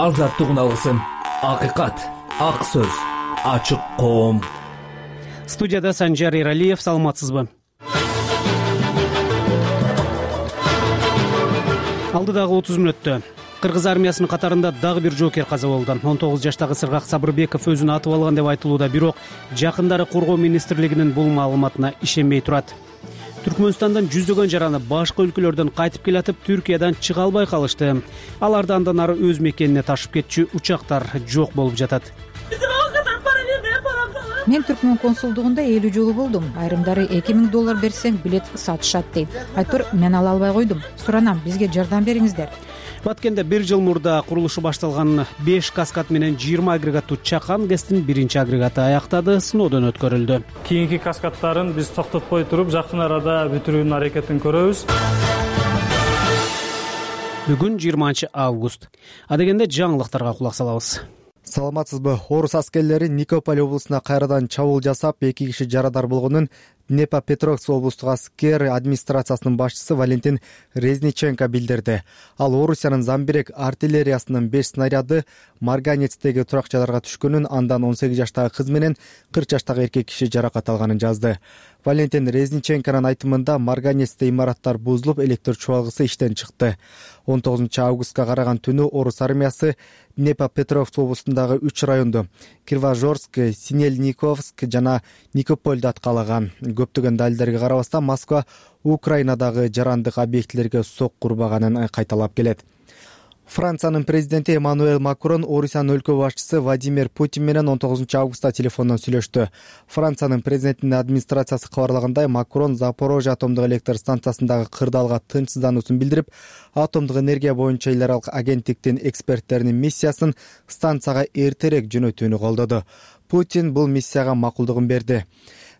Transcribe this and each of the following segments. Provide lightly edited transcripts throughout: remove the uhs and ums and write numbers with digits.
азаттык алгысын, акыйкат, ак сөз, ачык коом. Студияда Санжар Эралиев, саламатсызбы? Алдыдагы 30 мүнөттө Кыргыз армиясынын катарында дагы бир жоокер каза болду. 19 жаштагы Сыргак Сабырбеков өзүн атып алган деп айтылууда, бирок жакындары Коргоо министрлигинин бул маалыматына ишенбей турат. Түркмөнстандан жүздөгөн жараны башка өлкөлөрдөн кайтып келатып, Түркиядан чыга албай калышты. Аларды андан ары өз мекенине ташып кетчү учактар жок болуп жатат. Мен Түркмөн консулдугунда 50 жолу болдум. Айрымдары $2000 берсең билет сатышат дейт. Айтор мен ала албай койдум. Суранам, бизге жардам бериңиздер. Баткенде 1 жыл мурда курулушу башталган 5 каскад менен 20 агрегаттуу Чакан ГЭСтин 1 агрегаты аяктады, сыноодон өткөрүлдү. Кийинки каскадтарын биз токтотпой туруп, жакын арада бүтүрүүнүн аракетин көрөбүз. Бүгүн 20 август. Адегенде жаңылыктарга кулак салабыз. Саламатсызбы? Орус аскерлери Никополь облусуна кайрадан чабуул жасап, 2 киши жарадар болгонун Днепропетровск облустук аскер администрациясынын башчысы Валентин Резниченко билдирди. Ал Орусиянын Замбирек артиллериясынын 5 снаряды Марганецтеги туракчаларга түшкөнүн, андан 18 жаштагы кыз менен 40 жаштагы эркек киши жаракат алганын жазды. Валентин Резниченконун айтымында Марганецте имараттар бузулуп, электр чубалгысы иштен чыкты. 19 августка караган түнү Орус армиясы Днепропетровск облусундагы 3 районду Кривожорск, Синельниковск жана Никопольду аткалаган. Көптөгөн далилдерге карабастан Москва Украинадагы жарандык объектилерге сокку урбаганын кайталап келет. Франциянын президенти Эммануэль Макрон Орусиянын өлкө башчысы Владимир Путин менен 19 августта телефондон сүйлөштү. Франциянын президентинин администрациясы кабарлагандай, Макрон Запорожье атомдук электр станциясындагы кырдаалга тынчсыздануусун билдирип, атомдук энергия боюнча эл аралык агенттиктин эксперттеринин миссиясын станцияга эртерээк жөнөтүүнү колдоду. Путин бул миссияга макулдугун берди.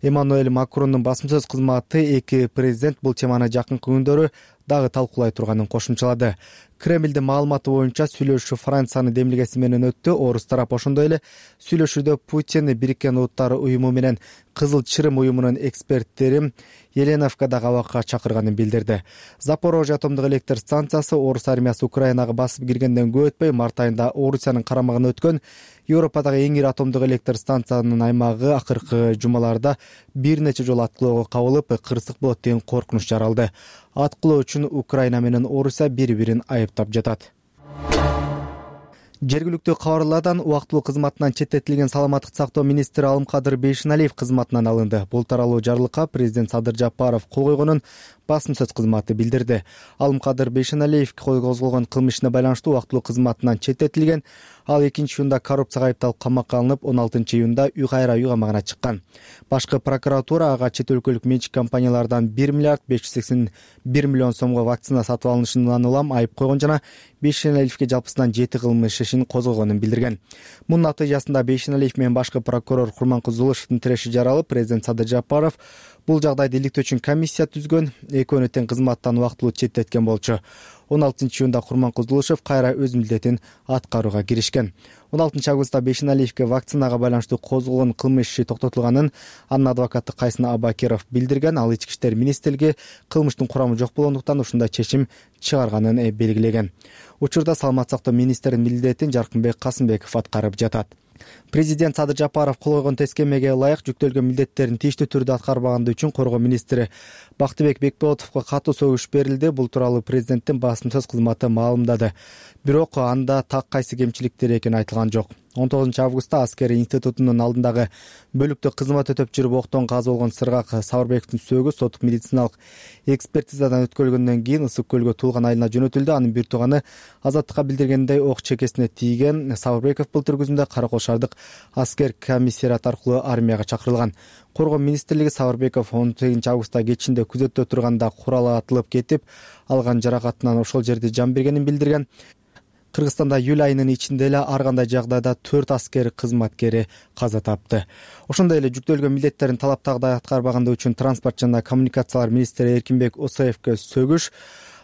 Эммануэль Макрондун басма сөз кызматы эки президент бул теманы жакынкы күндөрү дагы талкуулай турганын кошумчалады. Кремлдин маалыматы боюнча сүйлөшүү Франциянын демилгеси менен өттү. Орус тарап ошондой эле сүйлөшүүдө Путин Бириккен Улуттар уюму менен Кызыл Чырым уюмунун эксперттери Еленовкадагы абакка чакырганын билдирди. Запорожье атомдук электр станциясы Орус армиясы Украинага басып киргенден көп өтпөй март айында Орусиянын карамагына өткөн Европадагы эң ири атомдук электр станциянын аймагы акыркы жумаларда бир нече жолу аткылоого кабылып, кырсык болот деген коркунуч жаралды. Аткылоо үчүн Украина менен Орусия бири-бирин айыптап жатат. Жергиликтүү кабарлардан убактылуу кызматынан четтетилген саламаттык сактоо министри Алымкадыр Бейшеналиев кызматынан алынды. Бул тууралуу жарлыкка президент Садыр Жапаров кол койгонун басма сөз кызматы билдирди. Алымкадыр Бейшеналиев козголгон кылмышына байланыштуу убактылуу кызматынан четтетилген. Ал 2-июнда коррупцияга айыпталып камакка алынып, 16-июнда үй кайра үй камагына чыккан. Башкы прокуратура ага чет өлкөлүк менчик компаниялардан 1 миллиард 581 миллион сомго вакцина сатып алынышынан улам айып койгон жана Бейшеналиевке жалпысынан 7 кылмыш ишин козгогонун билдирген. Мунун натыйжасында Бейшеналиев менен башкы прокурор Курманкул Зулушевдун тиреши жаралып, президент Садыр Жапаров бул жагдайды иликтөө үчүн комиссия түзгөн, экөөнү тең кызматтан убактылуу четтеткен болчу. 16-июнда Курманкул Зулушев кайра өз милдетин аткарууга киришкен. 16 августта Бейшеналиевке вакцинага байланыштуу козголгон кылмыш иши токтотулганын анын адвокаты Кайсын Абакиров билдирген. Ал ички иштер министрлиги кылмыштын курамы жок болгондуктан ушундай чечим чыгарганын белгилеген. Учурда саламаттык сактоо министринин милдетин Жаркынбек Касымбеков аткарып жатат. Президент Садыр Жапаров кол койгон тескемеге ылайык жүктөлгөн милдеттерин тийиштүү түрдө аткарбаганы үчүн Коргоо министри Бактыбек Бекболотовго катуу сөгүш берилди. Бул тууралуу президенттин басма сөз кызматы маалымдады. Бирок анда так кайсы кемчиликтер экени айтылган жок. 19 августта аскери институтунун алдындагы бөлүктө кызмат өтөп жүрүп октон каза болгон Сыргак Сабырбековдун сөөгү соттук медициналык экспертизадан өткөрүлгөндөн кийин Ысык көлгө Туулган айылына жөнөтүлдү. Анын бир тууганы Азаттыкка билдиргендей, ок чекесине тийген. Сабырбеков былтыр күзүндө Каракол шаардык аскер комиссариат аркылуу армияга чакырылган. Коргоо министрлиги Сабырбеков 18 августта кечинде күзөттө турганда курал атылып кетип, алган жаракатынан ошол жерде жан бергенин билдирген. Кыргызстанда июль айынын ичинде эле ар кандай жагдайда 4 аскер кызматкери каза тапты. Ошондой эле жүктөлгөн милдеттерин талаптагыдай аткарбаганы үчүн транспорт жана коммуникациялар министри Эркинбек Осаевке сөгүш,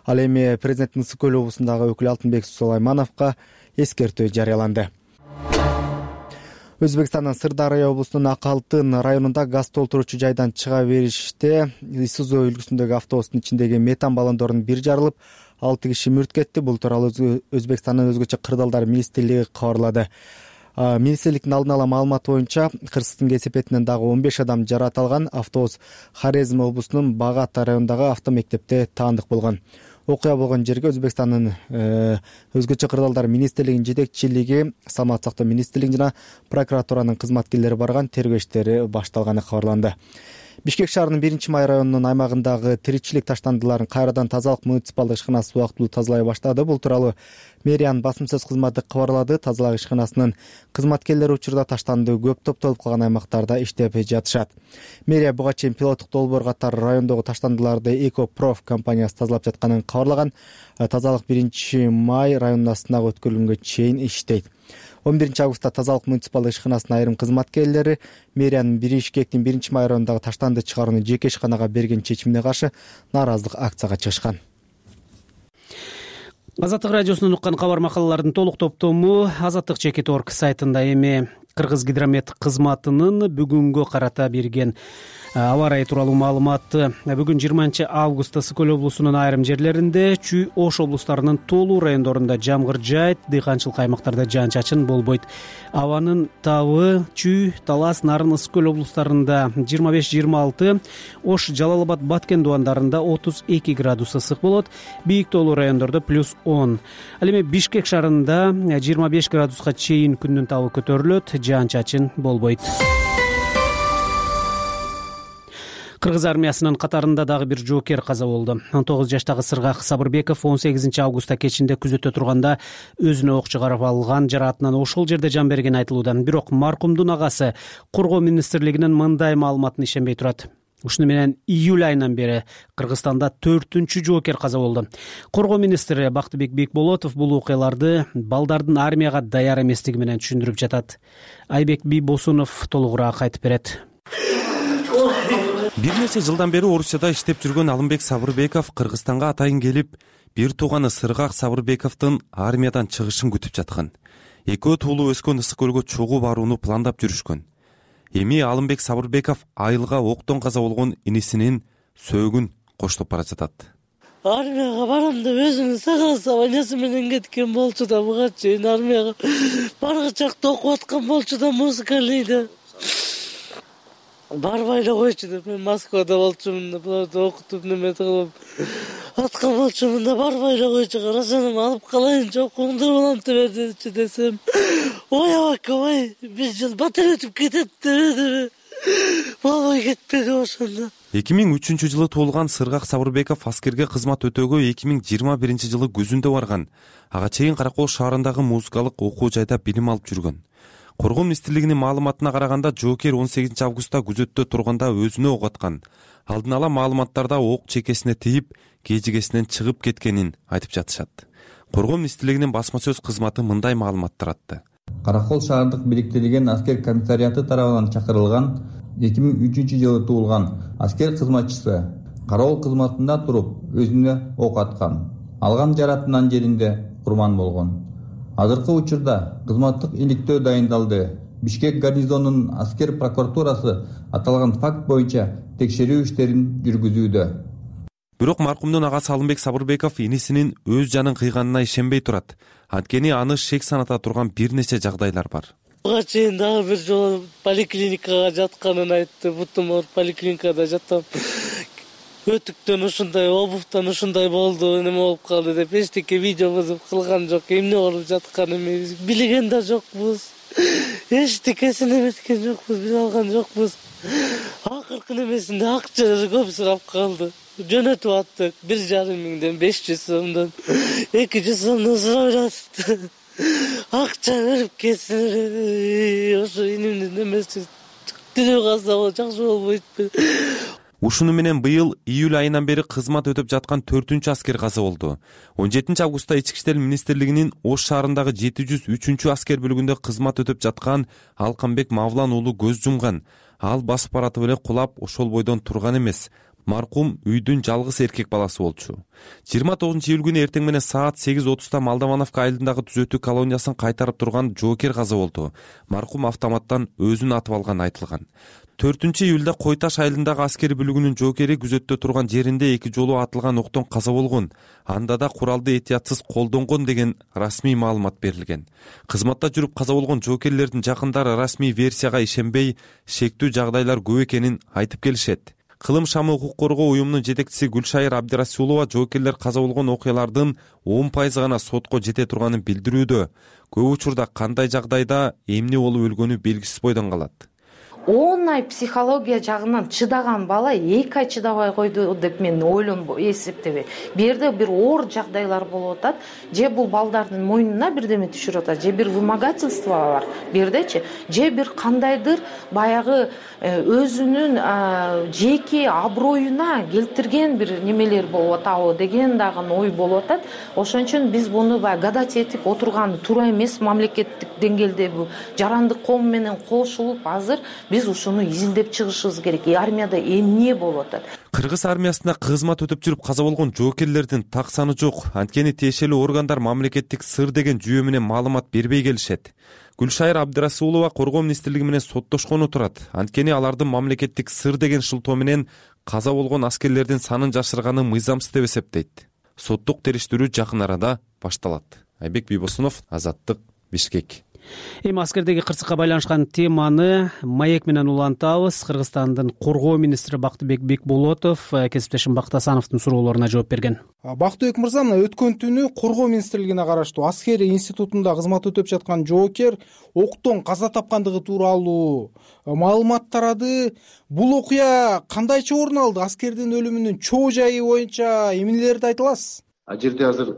ал эми президенттин Ысык көл облусундагы өкүлү Алтынбек Сулаймановго эскертүү жарыяланды. Өзбекстандын Сырдария облусунун Ак Алтын районунда газ толтуруучу жайдан чыга бериште Isuzu үлгүсүндөгү автобустун ичиндеги метан баллондордун бири жарылып, 6 киши мүрт кетти. Бул тууралуу Өзбекстандын өзгөчө кырдаалдар министрлиги кабарлады. Министрликтин алдын ала маалыматы боюнча Кыргызстын кесепетинен дагы 15 адам жаракат алган. Автобус Хорезм облусунун Багат районундагы автомектепте таандык болгон. Окуя болгон жерге Өзбекстандын өзгөчө кырдаалдар министрлигинин жетекчилиги, Саламаттык сактоо министрлиги жана прокуратуранын кызматкерлери барган. Тергөө иштери башталганы кабарланды. Бишкек шаарынын 1-Май районунун аймагындагы тиричилик таштандыларын кайрадан тазалык муниципалдык ишканасы убактылуу тазалай баштады. Бул тууралуу мэриянын басым сөз кызматы кабарлады. Тазалык ишканасынын кызматкерлери учурда таштанды көп топтолуп калган аймактарда иштеп жатышат. Мэрия буга чейин пилоттук долбоор катары райондогу таштандыларды Экопроф компаниясы тазалап жатканын кабарлаган. Тазалык 1-Май районунун астындагы өткөрүлгөнгө чейин иштейт. 11 августта тазалык муниципалдык ишканасынын айрым кызматкерлери мэриянын Бишкектин 1-Май районундагы таштанды чыгарууну жеке ишканага берген чечимине каршы нааразылык акцияга чыгышкан. Азаттык радиосунан уккан кабар макалалардын толук топтому azattik.org сайтында. Эми Кыргыз гидромет кызматынын бүгүнгө карата берген аба ырайы тууралуу маалыматты. Бүгүн 20 августта Ысык Көл облусунун айрым жерлеринде, Чүй Ош облустарынын толуу райондорунда жамгыр жаайт, дыйканчылык аймактарда жаан-чачын болбойт. Абанын табы Чүй, Талас, Нарын, Ысык Көл облустарында 25-26, Ош, Жалал-Абад, Баткен дубандарында 32 градус ысык болот. Бийик толуу райондордо +10. Ал эми Бишкек шаарында 25 градуска чейин күндүн табы көтөрүлөт, жаан-чачын болбойт. Кыргыз армиясынын катарында дагы бир жоокер каза болду. 19 жаштагы Сыргак Сабырбеков 18 августта кечинде күзөттө турганда өзүнө ок чыгарып алган жараатынан ошол жерде жан бергени айтылууда. Бирок маркумдун агасы Коргоо министрлигинин мындай маалыматына ишенбей турат. Ушуну менен июль айынан бери Кыргызстанда 4-чү жоокер каза болду. Коргоо министри Бактыбек Бекболотов бул окуяларды балдардын армияга даяр эместиги менен түшүндүрүп жатат. Айбек Бийбосунов толугураак айтып берет. Бир нече жылдан бери Орусияда иштеп жүргөн Алымбек Сабырбеков Кыргызстанга атайын келип, бир тууганы Сыргак Сабырбековдун армиядан чыгышын күтүп жаткан. Экөө туулуу өскөн Ысык Көлгө чогуу барууну пландап жүрүшкөн. Эми Алымбек Сабырбеков айылга октон каза болгон инисинин сөөгүн коштоп бара жатат. Армияга барам деп өзүнүн согласованиясы менен кеткен болчу да, буга чейин армияга баргычакта окуп аткан болчу да, музыкалыйда. Барбай эле койчу деп, мен Москвада болчумун деп, буларды окутуп неме кылып аткан болчумун да, барбай эле койчу. Карасам алып калайынчы, окуңдар улантып бердичи десем, ой абака, ой, 1 жыл батыр өтүп кетет деп болбой кетпеди ошондо. 2003 жылы туулган Сыргак Сабырбеков аскерге кызмат өтөөгө 2021 жылы күзүндө барган. Ага чейин Каракол шаарындагы музыкалык окуу жайда билим алып жүргөн. Коргоо министрлигинин маалыматына караганда, жоокер 18 августта күзөттө турганда өзүнө ок аткан. Алдын ала маалыматтарда ок чекесине тийип, кежигесинен чыгып кеткенин айтып жатышат. Коргоо министрлигинин басма сөз кызматы мындай маалымат таратты. Каракол шаардык бириктирилген аскер комиссариаты тарабынан чакырылган 2003 жылы туулган аскер кызматчысы кароол кызматында туруп өзүнө ок аткан. Алган жаратынан жеринде курман болгон. Азыркы учурда кызматтык иликтөө дайындалды. Бишкек гарнизонунун аскер прокуратурасы аталган факт боюнча текшерүү иштерин жүргүзүүдө. Бирок маркумдун агасы Алымбек Сабырбеков инисинин өз жанын кыйганына ишенбей турат. Анткени аны шек саната турган бир нече жагдайлар бар. Буга чейин дагы бир жолу поликлиникага жатканын айтты. Бутум ооруп поликлиникада жаттым. Өтүктөн ушундай, обуфтан ушундай болду, неме болуп калды деп эчтеке видео кылган жок. Эмне болуп жатканын билген да жокпуз. Эчтекесин эметкен жокпуз, биле алган жокпуз. Акыркы немесинде акча көп сурап калды. Жөнөтүп аттык 1,5 миңден 500 сомдон 200 сомдон сурап атты. Акча берип кетсин, ошо инимдин немеси тирүү калса жакшы болбойтпу. Ушуну менен быйыл июль айынан бери кызмат өтүп жаткан 4-чү аскер каза болду. 17 августта Ички иштер министрлигинин Ош шаарындагы 703 аскер бөлүгүндө кызмат өтүп жаткан Алканбек Мавлан уулу көз жумган. Ал басып баратып эле кулап ошол бойдон турган эмес. Маркум үйдүн жалгыз эркек баласы болчу. 29 июль күнү эртең менен саат 8:30 Молдовановка айылындагы түзөтүү колониясын кайтарып турган жоокер каза болду. Маркум автоматтан өзүн атып алганы айтылган. 4 июлда Кой Таш айылындагы аскер бүлүгүнүн жоокери күзөттө турган жеринде 2 жолу атылган октон каза болгон. Анда да куралды этиятсыз колдонгон деген расмий маалымат берилген. Кызматта жүрүп каза болгон жоокерлердин жакындары расмий версияга ишенбей, шектүү жагдайлар көп экенин айтып келишет. Кылым шамы укук коргоо уюмунун жетекчиси Гүлшайыр Абдирасулова жоокерлер каза болгон окуялардын 10% гана сотко жете турганын билдирүүдө. Көп учурда кандай жагдайда эмне болуп өлгөнү белгисиз бойдон калат. 10 ай психология жагынан чыдаган бала 2 ай чыдабай койду деп мен эсептебейм. Бу жерде бир оор жагдайлар болуп атат, же бул балдардын мойнуна бирдеме түшүрүп атат, же бир вымогательство бар бу жердечи, же бир кандайдыр баягы өзүнүн жеке аброюна келтирген бир немелер болуп атабы деген дагы ой болуп атат. Ошон үчүн биз буну гадать этип отурган туура эмес. Мамлекеттик деңгээлде бул жарандык коом менен кошулуп азыр биз ушуну изилдеп чыгышыбыз керек. Армияда эмне болуп атат? Кыргыз армиясында кызмат өтүп жүрүп каза болгон жоокерлердин так саны жок. Анткени тиешелүү органдар мамлекеттик сыр деген жүйө менен маалымат бербей келишет. Гүлшайыр Абдирасулова коргоо министрлиги менен соттошкону турат. Анткени алардын мамлекеттик сыр деген шылтоо менен каза болгон аскерлердин санын жашырганы мыйзамсыз деп эсептейт. Соттук териштирүү жакын арада башталат. Айбек Бийбосунов, Азаттык, Бишкек. Эми аскердеги кырсыкка байланышкан теманы маек менен улантабыз. Кыргызстандын коргоо министри Бактыбек Бекболотов кесиптешим Бактасановдун суроолоруна жооп берген. Бактыбек мырза, өткөн түнү коргоо министрлигине караштуу аскери институтунда кызмат өтөп жаткан жоокер октон каза тапкандыгы тууралуу маалымат тарады. Бул окуя кандайча орун алды? Аскердин өлүмүнүн чоо жайы боюнча эмнелерди айта аласыз? Ал жерде азыр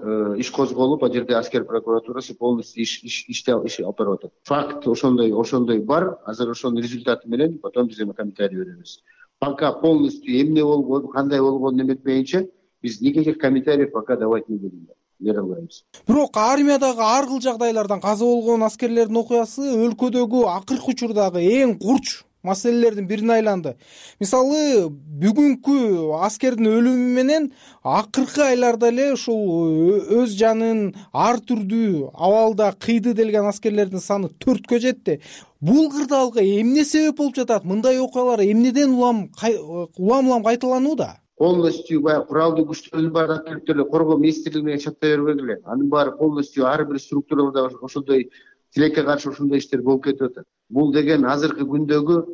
иш козголуп, ал жерде аскер прокуратурасы полностью иш алып барып атат. Факт ошондой бар. Азыр ошонун результаты менен потом биз эми комментарий беребиз. Пока полностью эмне болгон, кандай болгонун эметпейинче биз никаких комментариев пока давать не будем. Бере албайбыз. Бирок армиядагы ар кыл жагдайлардан каза болгон аскерлердин окуясы өлкөдөгү акыркы учурдагы эң курч маселелердин бирине айланды. Мисалы, бүгүнкү аскердин өлүмү менен акыркы айларда эле ушул өз жанын ар түрдүү абалда кыйды делген аскерлердин саны 4кө жетти. Бул кырдаалга эмне себеп болуп жатат? Мындай окуялар эмнеден улам кайталанууда? Полностью куралдуу күчтөрдүн баары актердер коргоо министрлигине чатта бербегиле. Анын баары полностью ар бир структурада ошондой тилекке каршы ошондой иштер болуп кетип атат. Бул деген азыркы күндөгү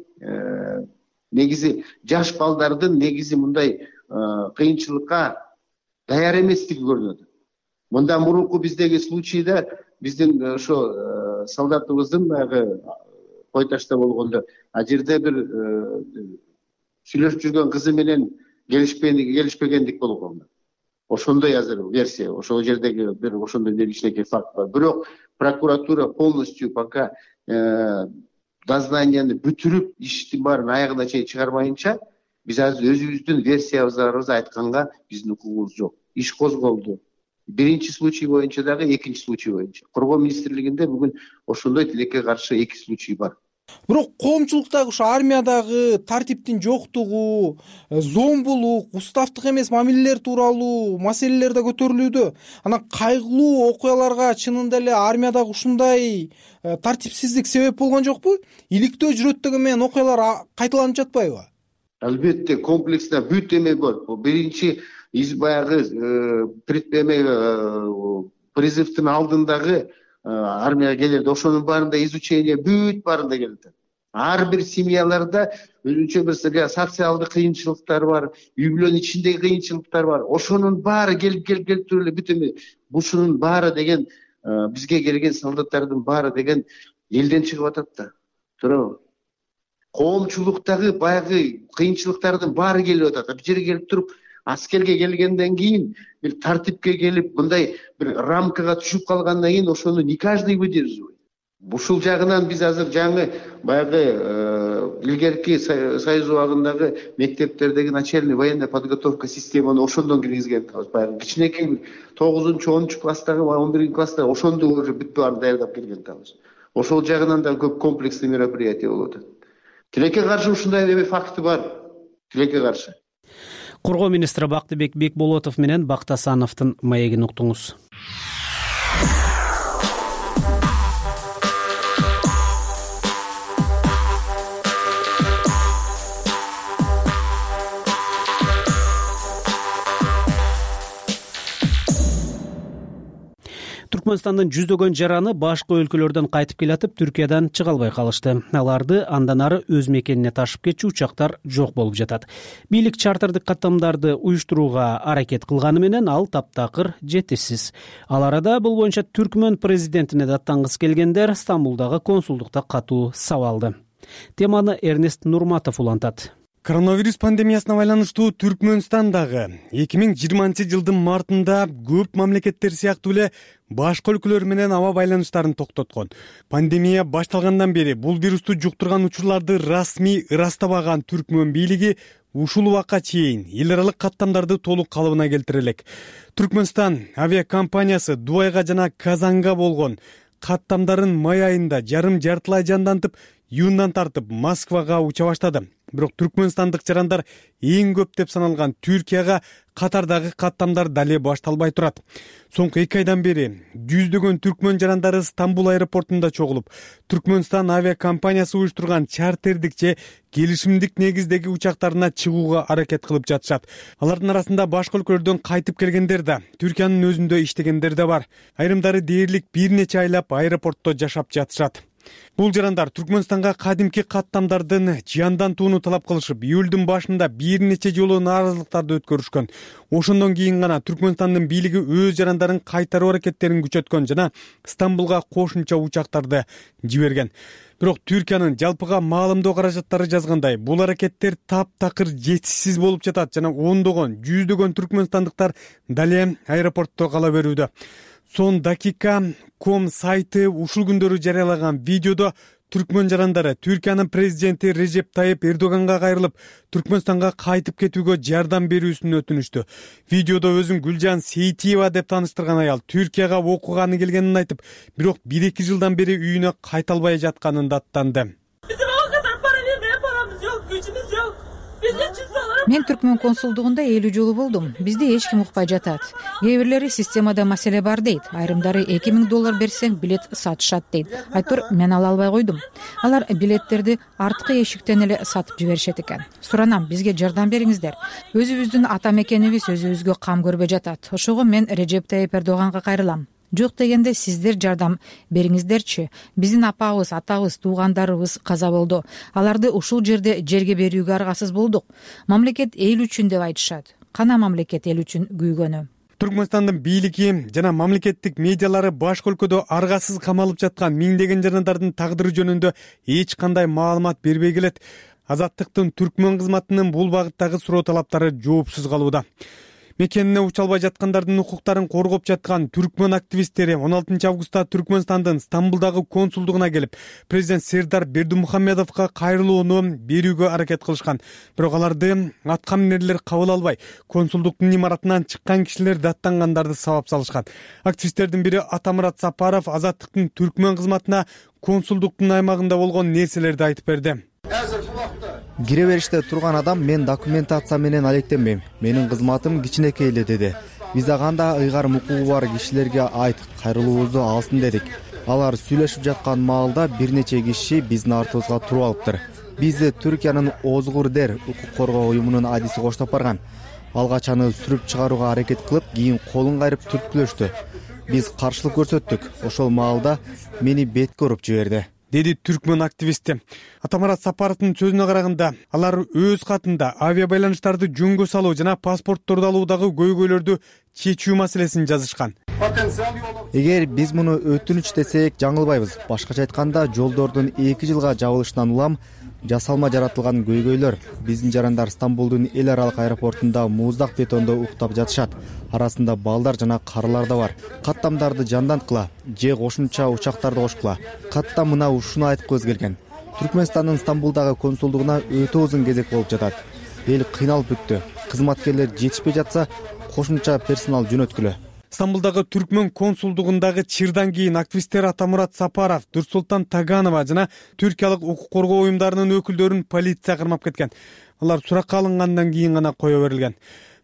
негизи жаш балдардын негизи мындай кыйынчылыкка даяр эместиги көрүнүп атат. Мындан мурунку биздеги случайда биздин ошо солдатыбыздын баягы Кой Ташта болгондо ал жерде бир сүйлөшүп жүргөн кызы менен келишпегендик болгон. Ошондой азыр версия, ошол жердеги бир ошондой кичинекей факт бар. Бирок прокуратура полностью пока дознанияны бүтүрүп, иштин баарын аягына чейин чыгармайынча, биз азыр өзүбүздүн версиябызды айтканга биздин укугубуз жок. Иш козголду. Биринчи случай боюнча дагы, экинчи случай боюнча. Коргоо министрлигинде бүгүн ошондой тилекке каршы 2 случай бар. Бирок коомчулуктагы ушу армиядагы тартиптин жоктугу, зомбулук, уставдык эмес мамилелер тууралуу маселелер да көтөрүлүүдө. Анан кайгылуу окуяларга чынында эле армиядагы ушундай тартипсиздик себеп болгон жокпу? Иликтөө жүрөт менен окуялар кайталанып жатпайбы? Албетте, комплексно бүт эме бар. Биринчи баягы призывдын алдындагы армияга келерде ошонун баарында изучение бүт баарында келет. Ар бир семьяларда өзүнчө бир социалдык кыйынчылыктар бар, үй бүлөнүн ичиндеги кыйынчылыктар бар. Ошонун баары келип туруп эле бүт эме ушунун баары деген бизге келген солдаттардын баары деген элден чыгып атат да. Туурабы? Коомчулуктагы баягы кыйынчылыктардын баары келип атат. Бул жерге келип туруп аскерге келгенден кийин бир тартипке келип, мындай бир рамкага түшүп калгандан кийин ошону не каждый выдерживает. Ушул жагынан биз азыр жаңы баягы илгерки Союз убагындагы мектептердеги начальный военная подготовка системаны ошондон киргизген. Баягы кичинекей 9-10 класстагы, 11-класста ошондо уже бүт баарын даярдап келген табыз. Ошол жагынан да көп комплексный мероприятие болуп атат. Тилекке каршы ушундай факты бар. Тилекке каршы. Коргоо министри Бактыбек Бекболотов менен Бактасановдун маегин уктуңуз. Түркмөнстандын жүздөгөн жараны башка өлкөлөрдөн кайтып келатып, Түркиядан чыга албай калышты. Аларды андан ары өз мекенине ташып кетчү учактар жок болуп жатат. Бийлик чартердик каттамдарды уюштурууга аракет кылганы менен ал таптакыр жетишсиз. Ал арада бул боюнча Түркмөн президентине даттангысы келгендер Стамбулдагы консулдукта катуу сабалды. Теманы Эрнест Нурматов улантат. Коронавирус пандемиясына байланыштуу Түркмөнстандагы 2020-жылдын мартында көп мамлекеттер сыяктуу эле башка өлкөлөр менен аба байланыштарын токтоткон. Пандемия башталгандан бери бул вирусту жуктурган учурларды расмий ырастабаган Түркмөн бийлиги ушул убакка чейин эл аралык каттамдарды толук калыбына келтире элек. Түркмөнстан авиакомпаниясы Дубайга жана Казанга болгон каттамдарын май айында жартылай жандантып, июндан тартып Москвага уча баштады. Бирок түркмөнстандык жарандар эң көп деп саналган Түркияга катардагы каттамдар дале башталбай турат. Соңку 2 айдан бери жүздөгөн түркмөн жарандары Стамбул аэропортунда чогулуп, Түркмөнстан авиакомпаниясы уюштурган чартердик же келишимдик негиздеги учактарына чыгууга аракет кылып жатышат. Алардын арасында башка өлкөлөрдөн кайтып келгендер да, Түркиянын өзүндө иштегендер да бар. Айрымдары дээрлик бир нече айлап аэропортто жашап жатышат. Бул жарандар Түркмөнстанга кадимки каттамдардын жандантууну талап кылышып, июлдун башында бир нече жолу нааразылыктарды өткөрүшкөн. Ошондон кийин гана Түркмөнстандын бийлиги өз жарандарын кайтаруу аракеттерин күчөткөн жана Стамбулга кошумча учактарды жиберген. Бирок Түркиянын жалпыга маалымдоо каражаттары жазгандай, бул аракеттер таптакыр жетишсиз болуп жатат жана ондогон, жүздөгөн түркмөнстандыктар дале аэропортто кала берүүдө. Son dakika.com сайты ушул күндөрү жарыялаган видеодо түркмөн жарандары Түркиянын президенти Режеп Тайып Эрдоганга кайрылып, Түркмөнстанга кайтып кетүүгө жардам берүүсүн өтүнүштү. Видеодо өзүн Гүлжан Сейтиева деп тааныштырган аял Түркияга окууганы келгенин айтып, бирок 1-2 жылдан бери үйүнө кайта албай жатканын даттанды. Мен Түркмөн консулдугунда 50 жолу болдум. Бизди эч ким укпай жатат. Кээ бирлери системада маселе бар дейт. Айрымдары $2000 берсең билет сатышат дейт. Айтор мен ала албай койдум. Алар билеттерди арткы эшиктен эле сатып жиберишет экен. Суранам, бизге жардам бериңиздер. Өзүбүздүн ата мекенибиз өзүбүзгө кам көрбөй жатат. Ошого мен Режеп Тайып Эрдоганга кайрылам. Жок дегенде сиздер жардам бериңиздерчи. Биздин апабыз, атабыз, туугандарыбыз каза болду. Аларды ушул жерге берүүгө аргасыз болдук. Мамлекет эл үчүн деп айтышат. Кана мамлекет эл үчүн күйгөнү. Түркмөнстандын бийлиги жана мамлекеттик медиалары башка өлкөдө аргасыз камалып жаткан миңдеген жарандардын тагдыры жөнүндө эч кандай маалымат бербей келет. Азаттыктын түркмөн кызматынын бул багыттагы суроо талаптары жоопсуз калууда. Мекенине уча албай жаткандардын укуктарын коргоп жаткан түркмөн активисттери 16 августта Түркмөнстандын Стамбулдагы консулдугуна келип, президент Сердар Бердимухамедовго кайрылууну берүүгө аракет кылышкан. Бирок аларды атка минерлер кабыл албай, консулдуктун имаратынан чыккан кишилер даттангандарды сабап салышкан. Активисттердин бири Атамурат Сапаров Азаттыктын түркмөн кызматына консулдуктун аймагында болгон нерселерди айтып берди. Кире бериште турган адам мен документация менен алектенбейм. Менин кызматым кичинекей эле деди. Биз анда ыйгарым укугу бар кишилерге айт, кайрылуубузду алсын дедик. Алар сүйлөшүп жаткан маалда бир нече киши биздин артыбызга туруп алыптыр. Бизди Түркиянын Озгурдер укук коргоо уюмунун адиси коштоп барган. Алгач аны сүрүп чыгарууга аракет кылып, кийин колун кайрып түрткүлөштү. Биз каршылык көрсөттүк. Ошол маалда мени бетке уруп жиберди, деди түркмөн активисти. Атамурат Сапаровдун сөзүнө караганда, алар өз катында авиа байланыштарды жөнгө салуу жана паспортторду алуудагы көйгөйлөрдү чечүү маселесин жазышкан. Эгер биз муну өтүнүч десек жаңылбайбыз. Башкача айтканда, жолдордун 2 жылга жабылышынан улам жасалма жаратылган көйгөйлөр. Биздин жарандар Стамбулдун эл аралык аэропортунда муздак бетондо уктап жатышат. Арасында балдар жана карылар да бар. Каттамдарды жанданткыла же кошумча учактарды кошкула. Катта мына ушуну айткыбыз келген. Түркмөнстандын Стамбулдагы консулдугуна өтө узун кезек болуп жатат. Эл кыйналып бүттү. Кызматкерлер жетишпей жатса, кошумча персонал жөнөткүлө. Стамбулдагы түркмөн консулдугундагы чырдан кийин активисттер Атамурат Сапаров, Дурсултан Таганова жана түркиялык укук коргоо уюмдарынын өкүлдөрүн полиция кармап кеткен. алар суракка алынгандан кийин гана кое берилген.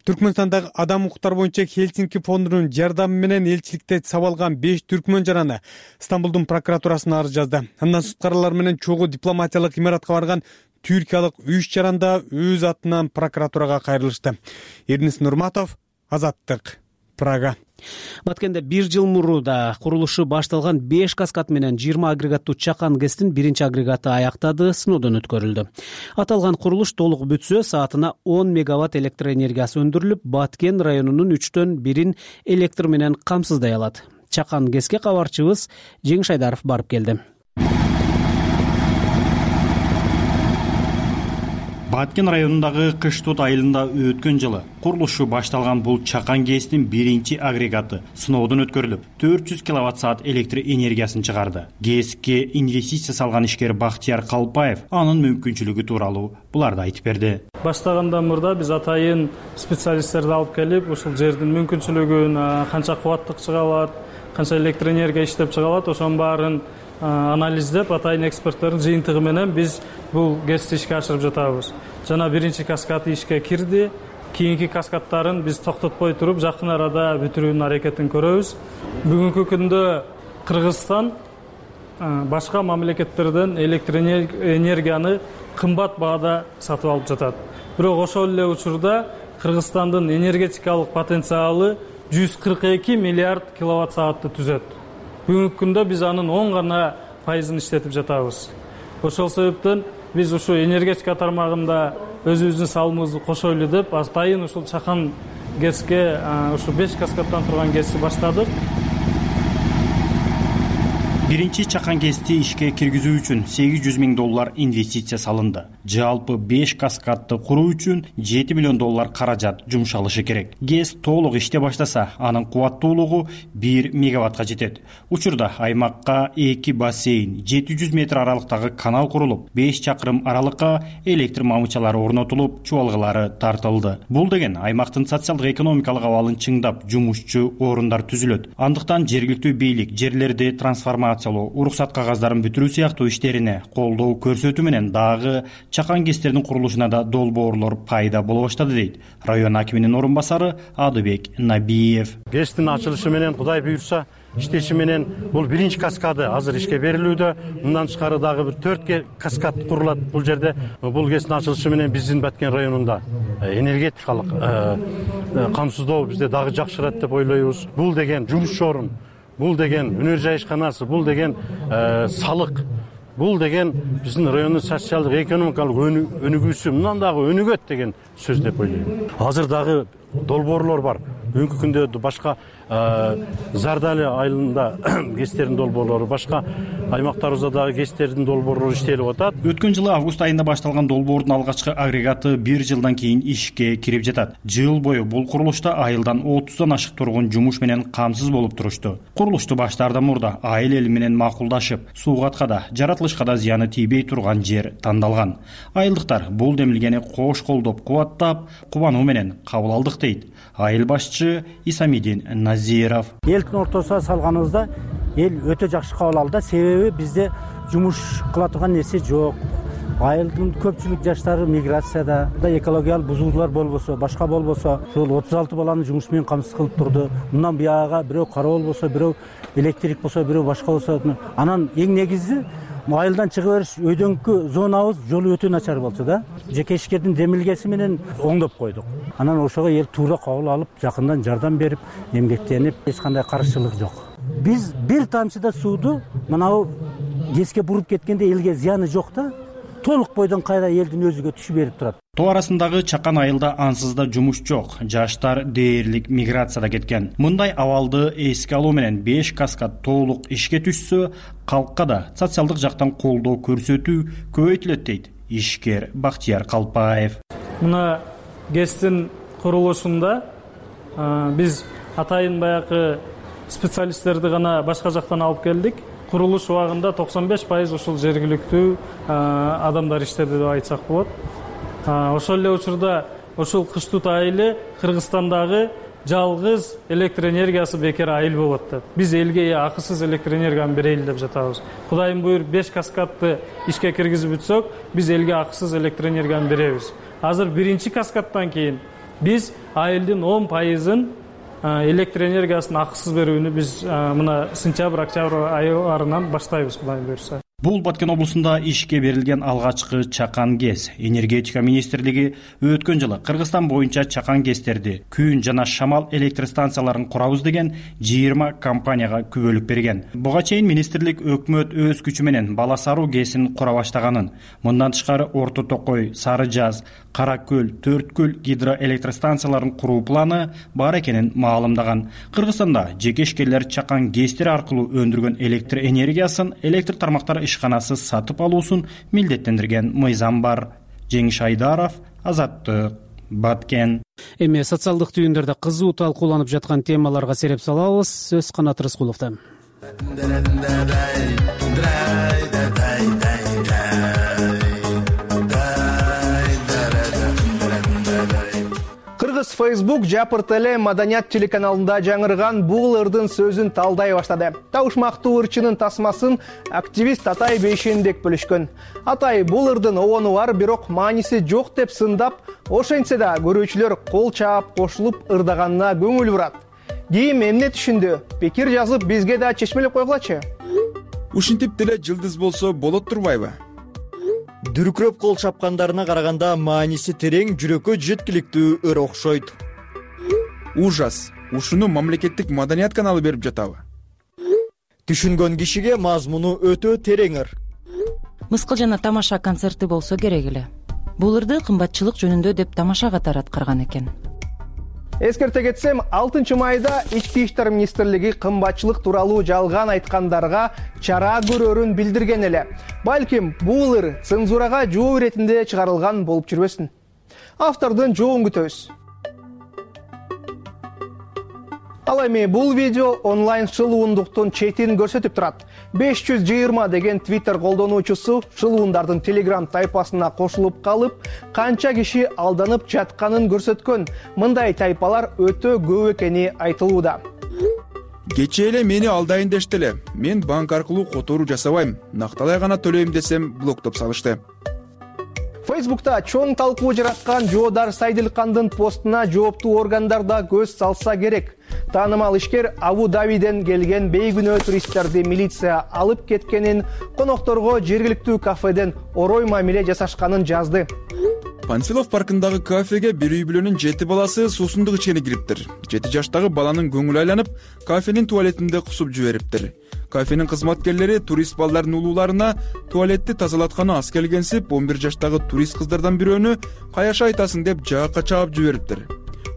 Түркмөнстандагы адам укуктары боюнча Хельсинки фондунун жардамы менен элчиликте сабалган 5 түркмөн жараны Стамбулдун прокуратурасына арыз жазды. Андан суд карарлары менен чогуу дипломатиялык имаратка барган түркиялык 3 жаран да өз атынан прокуратурага кайрылышты. Эрнис Нурматов, Азаттык, Прага. Баткенде 1 жыл мурда курулушу башталган 5 каскад менен 20 агрегаттуу чакан ГЭСтин 1 агрегаты аяктады, сыноодон өткөрүлдү. Аталган курулуш толук бүтсө, саатына 10 мегаватт электр энергиясы өндүрүлүп, Баткен районунун 3төн 1-ин электр менен камсыздай алат. Чакан ГЭСке кабарчыбыз Жеңиш Айдаров барып келди. Баткен районундагы Кыштут айылында өткөн жылы курулушу башталган бул чакан ГЭСтин 1 агрегаты сыноодон өткөрүлүп, 400 киловатт-саат электр энергиясын чыгарды. ГЭСке инвестиция салган ишкер Бактияр Калпаев анын мүмкүнчүлүгү тууралуу буларды айтып берди. Баштагандан мурда биз атайын специалисттерди алып келип, ушул жердин мүмкүнчүлүгүн, канча кубаттык чыга алат, канча электр энергия иштеп чыга алат, ошонун баарын анализдеп, атайын эксперттердин жыйынтыгы менен биз бул ГЭСти ишке ашырып жатабыз. Жана 1 каскад ишке кирди. Кийинки каскадтарын биз токтотпой туруп, жакын арада бүтүрүүнүн аракетин көрөбүз. Бүгүнкү күндө Кыргызстан башка мамлекеттерден электр энергияны кымбат баада сатып алып жатат. Бирок ошол эле учурда Кыргызстандын энергетикалык потенциалы 142 миллиард киловатт-саатты түзөт. Бүгүнкү күндө биз анын 10 гана пайызын иштетип жатабыз. Ошол себептен биз ушу энергетика тармагында өзүбүздүн салымыбызды кошойлу деп, атайын ушул чакан ГЭСке ушу 5 каскадтан турган ГЭСти баштадык. 1 чакан ГЭСти ишке киргизүү үчүн $800 миң инвестиция салынды. Жалпы 5 каскадты куруу үчүн $7 миллион каражат жумшалышы керек. ГЭС толук иште баштаса, анын кубаттуулугу 1 мегаваттка жетет. Учурда аймакка 2 бассейн, 700 метр аралыктагы канал курулуп, 5 чакырым аралыкка электр мамычалары орнотулуп, чубалгылары тартылды. Бул деген аймактын социалдык экономикалык абалын чыңдап, жумушчу орундар түзүлөт. Андыктан жергиликтүү бийлик жерлерди трансформация, уруксат кагаздарын бүтүрүү сыяктуу иштерине колдоо көрсөтүү менен дагы чакан ГЭСтердин курулушуна да долбоорлор пайда боло баштады, дейт район акиминин орун басары Адыбек Набиев. ГЭСтин ачылышы менен, Кудай буйрса, иштеши менен бул 1 каскады азыр ишке берилүүдө. Мындан тышкары дагы бир 4 каскад курулат бул жерде. Бул ГЭСтин ачылышы менен биздин Баткен районунда энергетикалык камсыздоо бизде дагы жакшырат деп ойлойбуз. Бул деген жумуш орун, бул деген өнөр жайышканасы, бул деген салык, бул деген биздин райондун социалдык экономикалык өнүгүүсү мындан дагы өнүгөт деген сөз деп ойлойм. Азыр дагы долбоорлор бар. Бүгүнкү күндө башка Зардали айылында ГЭСтердин долбоорлору, башка аймактарыбызда дагы ГЭСтердин долбоорлору иштелип атат. Өткөн жылы август айында башталган долбоордун алгачкы агрегаты 1 жылдан кийин ишке кирип жатат. Жыл бою бул курулушта айылдан 30дан ашык тургун жумуш менен камсыз болуп турушту. Курулушту баштаардан мурда айыл эли менен макулдашып, суугатка да, жаратылышка да зыяны тийбей турган жер тандалган. Айылдыктар бул демилгени кош колдоп, кубаттап, кубануу менен кабыл алдык, дейт айыл башчы Исамидин Назиров. Элдин ортосуна салганыбызда эл өтө жакшы кабыл алды, себеби бизде жумуш кыла турган нерсе жок. Айылдын көпчүлүк жаштары миграцияда, экологиялык бузуулар болбосо, башка болбосо, ошол 36 баланы жумуш менен камсыз кылып турду. Мындан бияга бирөө кара болбосо, бирөө электрик болсо, бирөө башка болсо, анан эң негизи айылдан чыгып бериш өйдөңкү зонабыз жолу өтө начар болчу да. Жеке ишкердин демилгеси менен оңдоп койдук. Анан ошого эл туура кабыл алып, жакындан жардам берип, эмгектенип, эч кандай каршылык жок. Биз бир тамчыда сууду мынау ГЭСке буруп кеткенде элге зыяны жок да. Толук бойдон кайра элдин өзүгө түшүп берип турат. Тоо арасындагы чакан айылда ансыз да жумуш жок. Жаштар дээрлик миграцияда кеткен. Мындай абалды эске алуу менен 5 каскад толук ишке түшсө, калкка да социалдык жактан колдоо көрсөтүү көбөйтүлөт, дейт ишкер Бактияр Калпаев. Мына ГЭСтин курулушунда биз атайын баягы специалисттерди гана башка жактан алып келдик. Курулуш убагында 95% ушул жергиликтүү адамдар иштеди деп айтсак болот. Ошол эле учурда ушул Кыштут айылы Кыргызстандагы жалгыз электр энергиясы бекер айыл болот деп. Биз элге акысыз электр энергияны берели деп жатабыз. Кудайым буйруп 5 каскадты ишке киргизип бүтсөк, биз элге акысыз электр энергияны беребиз. Азыр биринчи каскадтан кийин биз айылдын 10% электр энергиясын акысыз берүүнү биз мына сентябрь, октябрь айларынан баштайбыз, Кудайым буйруса. Бул Баткен облусунда ишке берилген алгачкы чакан ГЭС. Энергетика министрлиги өткөн жылы Кыргызстан боюнча чакан ГЭСтерди, күн жана шамал электр станцияларын курабыз деген 20 компанияга күбөлүк берген. Буга чейин министрлик өкмөт өз күчү менен Бала Саруу ГЭСин кура баштаганын, мындан тышкары Орто Токой, Сары Жаз, Кара Көл, Төрткөл гидроэлектр станцияларын куруу планы бар экенин маалымдаган. Кыргызстанда жекешкерлер чакан ГЭСтер аркылуу өндүргөн электр энергиясын электр тармактары ишканасы сатып алуусун милдеттендирген мыйзам бар. Жеңиш Айдаров, Азаттык, Баткен. Эми социалдык түйүндөрдө кызуу талкууланып жаткан темаларга сереп салабыз. Сөз Канат Рыскуловдон. Кыргыз Facebook Жапыр теле маданият телеканалында жаңырган бул ырдын сөзүн талдай баштады. Табышмактуу ырчынын тасмасын активист Атай Бейшенбек бөлүшкөн. Атай бул ырдын обону бар, бирок мааниси жок деп сындап, ошентсе да көрүүчүлөр кол чаап кошулуп ырдаганына көңүл бурат. Кийим эмне түшүндү? Пикир жазып бизге да чечмелеп койгулачы. Ушинтип деле жылдыз болсо болот турбайбы? Дүркүрөп кол чапкандарына караганда мааниси терең, жүрөккө жеткиликтүү ыр окшойт. Ужас. Ушуну мамлекеттик маданият каналы берип жатабы? Түшүнгөн кишиге мазмуну өтө терең ыр. Мыскыл жана тамаша концерти болсо керек эле. Бул ырды кымбатчылык жөнүндө деп тамаша катары аткарган экен. Эскерте кетсем, 6 майда Ички иштер министрлиги кымбатчылык тууралуу жалган айткандарга чара көрөрүн билдирген эле. Балким бул ыр цензурага жооп иретинде чыгарылган болуп жүрбөсүн. Автордун жообун күтөбүз. Ал эми бул видео онлайн шылуундуктун четин көрсөтүп турат. 520 деген Twitter колдонуучусу шылуундардын Telegram тайпасына кошулуп калып, канча киши алданып жатканын көрсөткөн. Мындай тайпалар өтө көп экени айтылууда. Кечээ эле мени алдайын дештеле. Мен банк аркылуу которуу жасабайм. Накталай гана төлөйм десем, блоктоп салышты. Facebook'ta чоң талкуу жараткан Жоодар Сайдылкандын постуна жооптуу органдар да көз салса керек. Таанымал ишкер Абу Дабиден келген бейгүнөө туристтерди милиция алып кеткенин, конокторго жергиликтүү кафеден орой мамиле жасашканын жазды. Панфилов паркындагы кафеге бир үй бүлөнүн 7 баласы суусундук ичкени кириптир. 7 жаштагы баланын көңүлү айланып, кафенин туалетинде кусуп жибериптир. Кафенин кызматкерлери турист балдардын улууларына туалетти тазалатканы аз келгенсип, 11 жаштагы турист кыздардан бирөөнү каяша айтасың деп жаакка чаап жибериптир.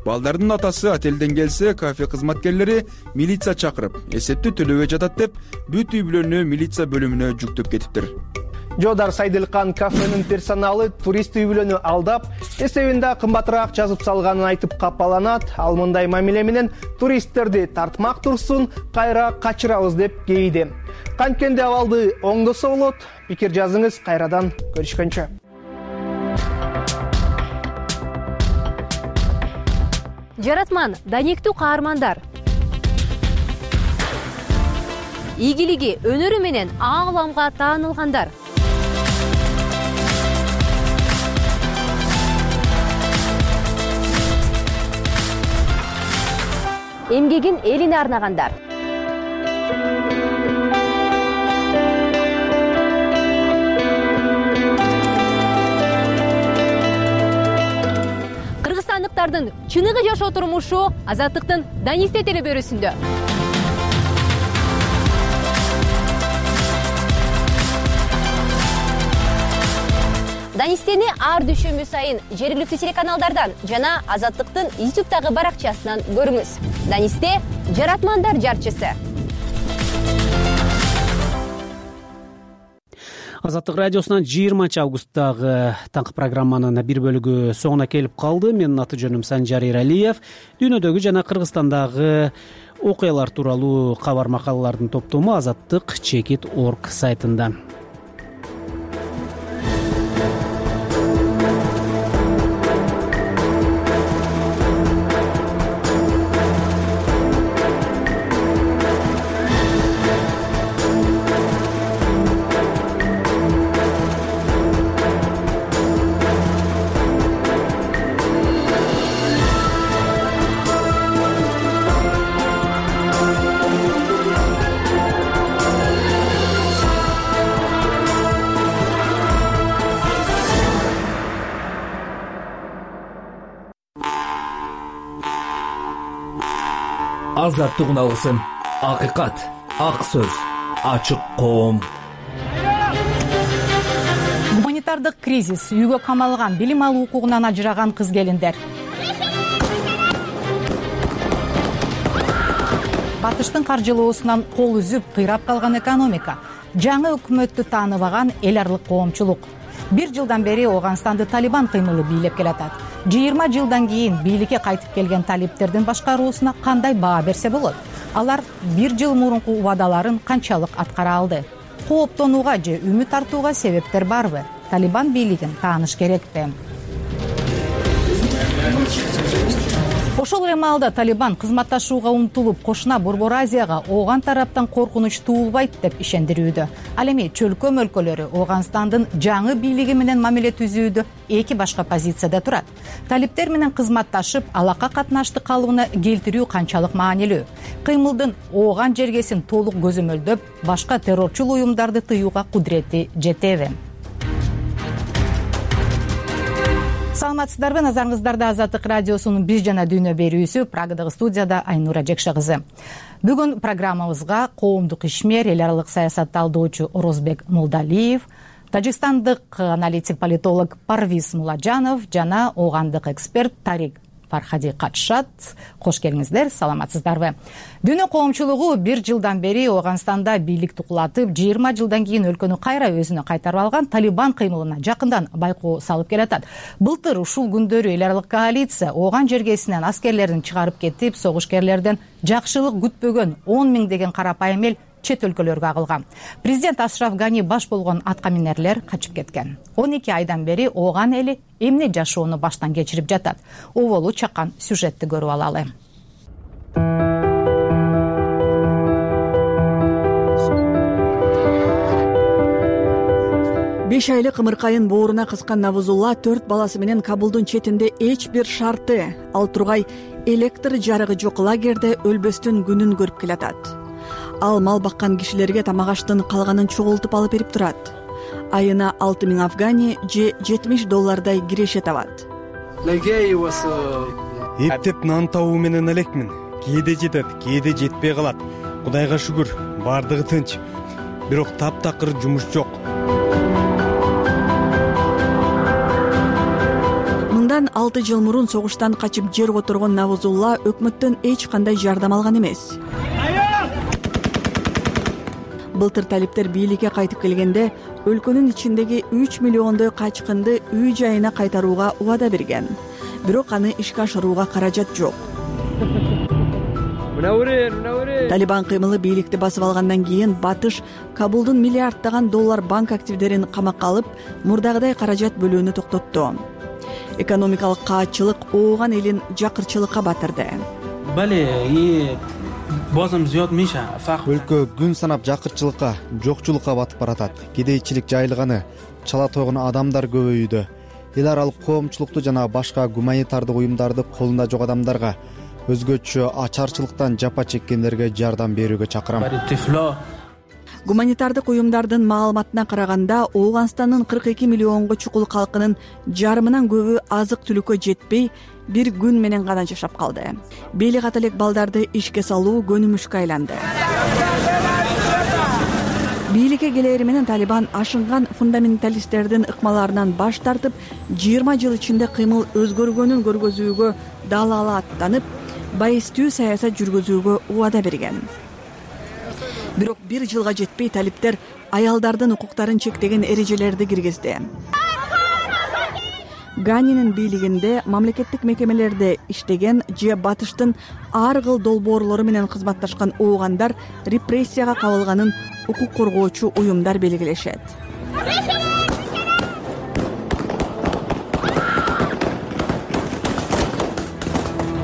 Балдардын атасы отелден келсе, кафе кызматкерлери милиция чакырып, эсепти төлөбөй жатат деп, бүт үй бүлөнү милиция бөлүмүнө жүктөп кетиптир. Жоодар Сайдылкан кафенин персоналы турист үй бүлөнү алдап, эсебинде кымбатыраак жазып салганын айтып капаланат. Ал мындай мамиле менен туристтерди тартмак турсун, кайра качырабыз деп кейиди. Канткенде абалды оңдосо болот. Пикир жазыңыз, кайрадан көрүшкөнчө. Жаратман, даниктүү каармандар. Ийгилиги, өнөрү менен ааламга таанылгандар. Эмгегин элине арнагандар. Кыргызстандыктардын чыныгы жашоо турмушу Азаттыктын Данисте телебөрүсүндө. Данистени ар дүйшөмбү сайын жергиликтүү телеканалдардан жана Азаттыктын YouTube'дагы баракчасынан көрүңүз. Данисте жаратмандар жарчысы. Азаттык радиосунан 20 августтагы таңкы программанын бир бөлүгү соңуна келип калды. Менин аты жөнүм Санжар Иралиев. Дүйнөдөгү жана Кыргызстандагы окуялар тууралуу кабар макалалардын топтому Азаттык Чекит.org сайтында. азаттыгын алсын. Акыйкат, ак сөз, ачык коом. Гуманитардык кризис, үйгө камалган, билим алуу укугунан ажыраган кыз келиндер. Батыштын каржылоосунан кол үзүп, кыйрап калган экономика, жаңы өкмөттү тааныбаган эл аралык коомчулук. 1 жылдан бери Ооганстанды Талибан кыймылы бийлеп келатат. 20 жылдан кийин бийликке кайтып келген талиптердин башкаруусуна кандай баа берсе болот? Алар 1 жыл мурунку убадаларын канчалык аткара алды? Кооптонууга же үмүт артууга себептер барбы? Талибан бийлигин тааныш керекпи? Ошол эле маалда Талибан кызматташууга умтулуп, кошуна Борбор Азияга Ооган тараптан коркунуч туулбайт деп ишендирүүдө. Ал эми чөлкөм өлкөлөрү Ооганстандын жаңы бийлиги менен мамиле түзүүдө эки башка позицияда турат. Талиптер менен кызматташып, алака катнашты калыбына келтирүү канчалык маанилүү? Кыймылдын Ооган жергесин толук көзөмөлдөп, башка террорчул уюмдарды тыюуга кудурети жетеби? Саламатсыздарбы, назарыңыздарда Азаттык радиосунун Биз жана дүйнө берүүсү, Прагадагы студияда Айнура Жекше кызы. Бүгүн программабызга коомдук ишмер, эл аралык саясат талдоочу Орозбек Молдалиев, тажикстандык аналитик политолог Парвиз Муладжанов жана оогандык эксперт Тарик Фархади катышат. Кош келиңиздер, саламатсыздарбы? Дүйнө коомчулугу 1 жылдан бери Ооганстанда бийликти кулатып, 20 жылдан кийин өлкөнү кайра өзүнө кайтарып алган Талибан кыймылына жакындан байкоо салып келатат. Былтыр ушул күндөрү эл аралык коалиция Ооган жергесинен аскерлерин чыгарып кетип, согушкерлерден жакшылык күтпөгөн 10 миңдеген карапайым эл чет өлкөлөргө агылган. Президент Ашраф Гани баш болгон аткаминерлер качып кеткен. 12 айдан бери Ооган эли эмне жашоону баштан кечирип жатат? Оболу чакан сюжетти көрүп алалы. 5 айлык ымыркайын бооруна кыскан Навузулла 4 баласы менен Кабулдун четинде эч бир шарты, ал тургай электр жарыгы жок лагерде өлбөстүн күнүн көрүп келатат. Ал мал баккан кишилерге тамак аштын калганын чогултуп алып берип турат. Айына 6000 афгани же $70 киреше табат. Эптеп нан табуу менен элекмин. Кээде жетет, кээде жетпей калат. Кудайга шүгүр, бардыгы тынч. Бирок таптакыр жумуш жок. Мындан 6 жыл мурун согуштан качып жер которгон Навузулла өкмөттөн эч кандай жардам алган эмес. Былтыр талиптер бийликке кайтып келгенде өлкөнүн ичиндеги 3 миллиондой качкынды үй жайына кайтарууга убада берген. Бирок аны ишке ашырууга каражат жок. Талибан кыймылы бийликти басып алгандан кийин Батыш Кабулдун миллиарддаган доллар банк активдерин камакка алып, мурдагыдай каражат бөлүүнү токтотту. Экономикалык каатчылык Ооган элин жакырчылыкка батырды. Өлкө күн санап жакырчылыкка, жокчулукка батып баратат. Кедейчилик жайылганы, чала тойгон адамдар көбөйүүдө. Эл аралык коомчулукту жана башка гуманитардык уюмдарды колунда жок адамдарга, өзгөчө ачарчылыктан жапа чеккендерге жардам берүүгө чакырам. Гуманитардык уюмдардын маалыматына караганда, Ооганстандын 42 миллионго чукул калкынын жарымынан көбү азык-түлүккө жетпей, бир күн менен гана жашап калды. Бели ката элек балдарды ишке салуу көнүмүшкө айланды. Бийликке келери менен Талибан ашынган фундаменталисттердин ыкмаларынан баш тартып, 20 жыл ичинде кыймыл өзгөргөнүн көргөзүүгө далала аттанып, байыстуу саясат жүргүзүүгө убада берген. Бирок 1 жылга жетпей талиптер аялдардын укуктарын чектеген эрежелерди киргизди. Ганинин бийлигинде мамлекеттик мекемелерде иштеген же Батыштын ар кыл долбоорлору менен кызматташкан оогандар репрессияга кабылганын укук коргоочу уюмдар белгилешет.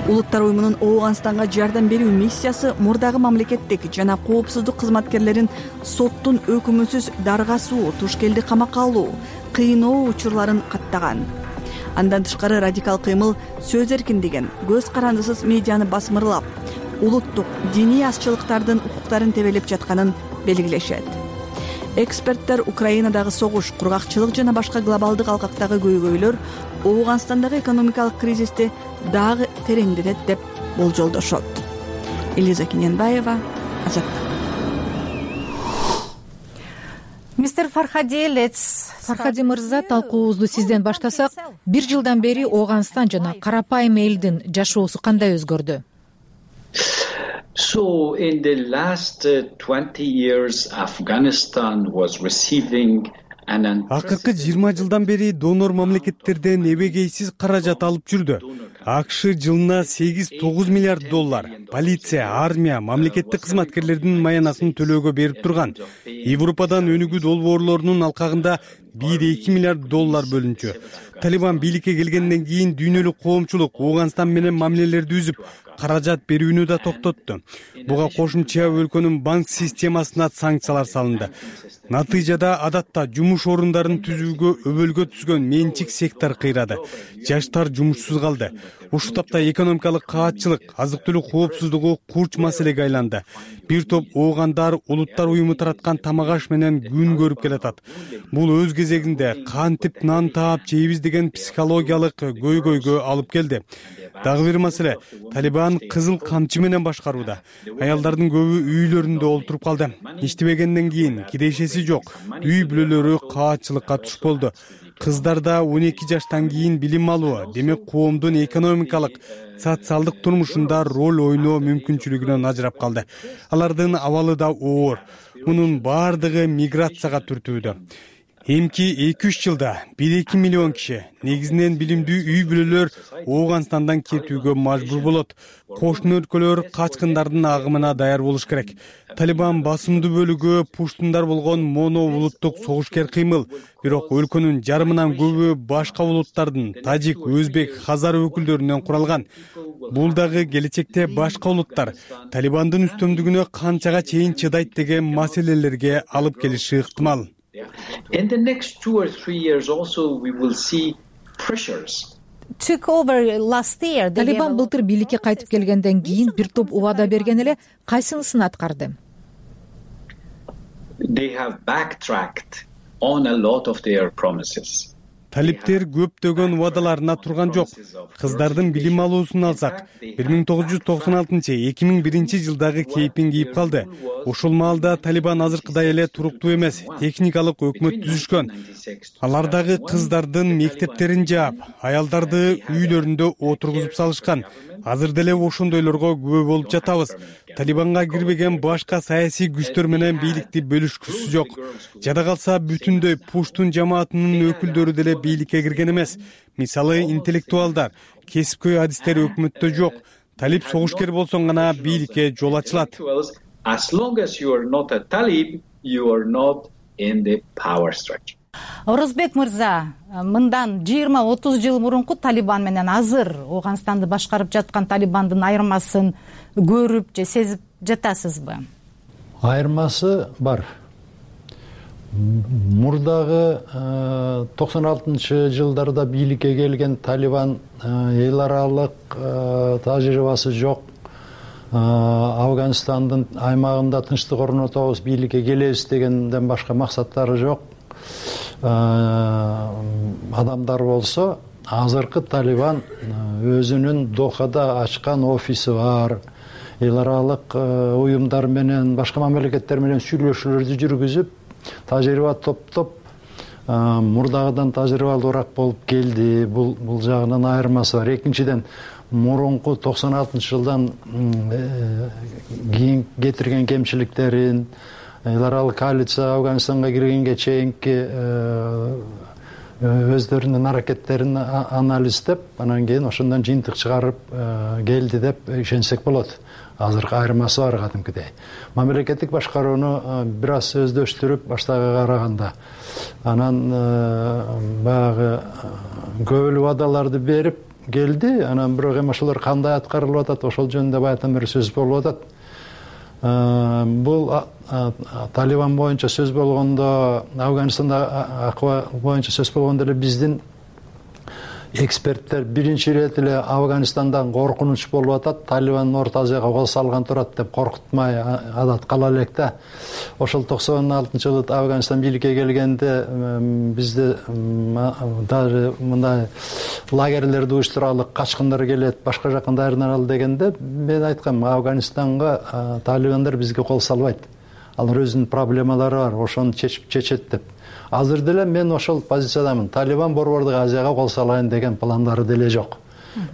Улуттар уюмунун Ооганстанга жардам берүү миссиясы мурдагы мамлекеттик жана коопсуздук кызматкерлерин соттун өкүмүсүз даргасуу, тушкелди камакка алуу, кыйноо учурларын каттаган. Андан тышкары радикал кыймыл сөз эркиндигин, көз карандысыз медианы басмырлап, улуттук, диний азчылыктардын укуктарын тебелеп жатканын белгилешет. Эксперттер Украинадагы согуш, кургакчылык жана башка глобалдык алкактагы көйгөйлөр Ооганстандагы экономикалык кризисти дагы тереңдетет деп болжолдошот. Элиза Кененбаева, Азаттык. Мистер Фархади, Фархади мырза, талкуубузду сизден баштасак, 1 жылдан бери Ооганстан жана карапайым элдин жашоосу кандай өзгөрдү? So in the last 20 years, Afghanistan was receiving акыркы 20 жылдан бери донор мамлекеттерден эбегейсиз каражат алып жүрдү. АКШ жылына 8-9 миллиард доллар полиция, армия, мамлекеттик кызматкерлердин маянасын төлөөгө берип турган. Европадан өнүгүү долбоорлорунун алкагында 1-2 миллиард доллар бөлүнчү. Талибан бийликке келгенден кийин дүйнөлүк коомчулук Ооганстан менен мамилелерди үзүп, каражат берүүнү да токтотту. Буга кошумча өлкөнүн банк системасына санкциялар салынды. Натыйжада адатта жумуш орундарын түзүүгө өбөлгө түзгөн менчик сектор кыйрады. Жаштар жумушсуз калды. Ушул тапта экономикалык каатчылык, азык-түлүк коопсуздугу курч маселеге айланды. Бир топ оогандар улуттар уюму тараткан тамак-аш менен күн көрүп келатат. Бул өз кезегинде кантип нан таап жейбиз деген психологиялык көйгөйгө алып келди. Дагы бир маселе, Талибан кызыл камчы менен башкарууда. Аялдардын көбү үйлөрүндө олтуруп калды. Иштебегенден кийин кирешеси жок. Үй бүлөлөрү каатчылыкка туш болду. Кыздарда 12 жаштан кийин билим алуу, демек коомдун экономикалык, социалдык турмушунда роль ойноо мүмкүнчүлүгүнөн ажырап калды. Алардын абалы да оор. Мунун бардыгы миграцияга түртүүдө. Эмки 2-3 жылда 1-2 миллион киши, негизинен билимдүү үй бүлөлөр Ооганстандан кетүүгө мажбур болот. Кошуна өлкөлөр качкындардын агымына даяр болуш керек. Талибан басымдуу бөлүгү пуштундар болгон моно улуттук согушкер кыймыл. Бирок өлкөнүн жарымынан көбү башка улуттардын, тажик, өзбек, хазар өкүлдөрүнөн куралган. Бул дагы келечекте башка улуттар Талибандын үстөмдүгүнө канчага чейин чыдайт деген маселелерге алып келиши ыктымал. In the next 2 or 3 years also we will see pressures. Талибан былтыр бийликке кайтып келгенден кийин бир топ убада берген эле, кайсынысын аткарды? They have backtracked on a lot of their promises. Талиптер көптөгөн убадаларына турган жок. Кыздардын билим алуусун алсак, 1996-2001 жылдагы кейпин кийип калды. Ушул маалда Талибан азыркыдай эле туруктуу эмес, техникалык өкмөт түзүшкөн. Алар дагы кыздардын мектептерин жаап, аялдарды үйлөрүндө отургузуп салышкан. Азыр деле ошондойлорго күбө болуп жатабыз. Талибанга кирбеген башка саясий күчтөр менен бийликти бөлүшкүсү жок. Жада калса бүтүндөй пуштун жамаатынын өкүлдөрү деле бийликке кирген эмес. Мисалы, интеллектуалдар, кесипкөй адистер өкмөттө жок. Талиб согушкер болсоң гана бийликке жол ачылат. As long as you are not a Talib, you are not in the power structure. Орозбек мырза, мындан 20-30 жыл мурунку Талибан менен азыр Ооганстанды башкарып жаткан Талибандын айырмасын көрүп же сезип жатасызбы? Айырмасы бар. Мурдагы 96-жылдарда бийликке келген Талибан эл аралык тажрыйбасы жок. Афганистандын аймагында тынчтык орнотобуз, бийликке келебиз дегенден башка максаттары жок. Адамдар болсо, азыркы Талибан өзүнүн Дохада ачкан офиси бар. Эл аралык уюмдар менен, башка мамлекеттер менен сүйлөшүүлөрдү жүргүзүп, тажрыйба топтоп, мурдагыдан тажрыйбалуураак болуп келди. Бул жагынан айырмасы бар. Экинчиден, мурунку 96-жылдан кийин кетирген кемчиликтерин, эл аралык коалиция Афганистанга киргенге чейинки өздөрүнүн аракеттерин анализдеп, анан кийин ошондон жыйынтык чыгарып келди деп ишенсек болот. Азыркы айырмасы бар кадимкидей. Мамлекеттик башкарууну бир аз өздөштүрүп баштагыга караганда, анан баягы көбөлүү убадаларды берип келди, анан бирок эми ошолор кандай аткарылып атат, ошол жөнүндө баягыдан бери сөз болуп атат. Бул Талибан боюнча сөз болгондо, Афганистанда акыбал боюнча сөз болгондо эле биздин эксперттер биринчи ирет эле Афганистандан коркунуч болуп атат, Талибан Орто Азияга кол салган турат деп коркутмай адат кала элек да. Ошол 96-жылы Афганистан бийликке келгенде бизде даже мындай лагерлерди уюштуралы, качкындар келет, башка жактан даярданалы дегенде мен айткам, Афганистанга талибандар бизге кол салбайт. Алар өзүнүн проблемалары бар, ошону чечет деп. Азыр деле мен ошол позициядамын. Талибан Борбордук Азияга кол салайын деген пландары деле жок.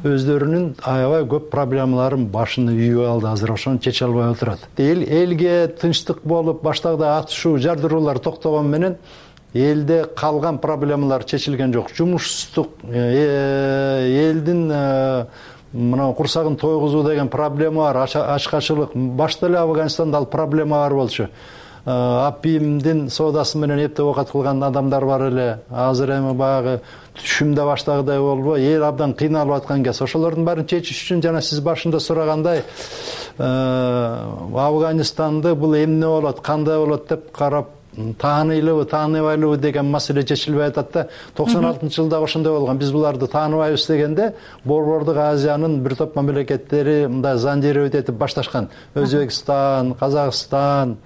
Өздөрүнүн аябай көп проблемаларын башына үйүп алды, азыр ошону чече албай отурат. Элге тынчтык болуп, баштагы атышуу, жардыруулар токтогон менен элде калган проблемалар чечилген жок. Жумушсуздук, элдин мына курсагын тойгузуу деген проблема бар, ачкачылык. Башта эле Афганистанда ал проблема бар болчу. Апимдин соодасы менен эптеп оокат кылган адамдар бар эле. Азыр эми баягы түшүмдө баштагыдай болбой, эл абдан кыйналып аткан кез. Ошолордун баарын чечиш үчүн жана сиз башында сурагандай, Афганистанды бул эмне болот, кандай болот деп карап тааныйлыбы, тааныбайлыбы деген маселе чечилбей атат да. 96-жылда ошондой болгон. Биз буларды тааныбайбыз дегенде Борбордук Азиянын бир топ мамлекеттери мындай зондировать этип башташкан. Өзбекстан, Казакстан,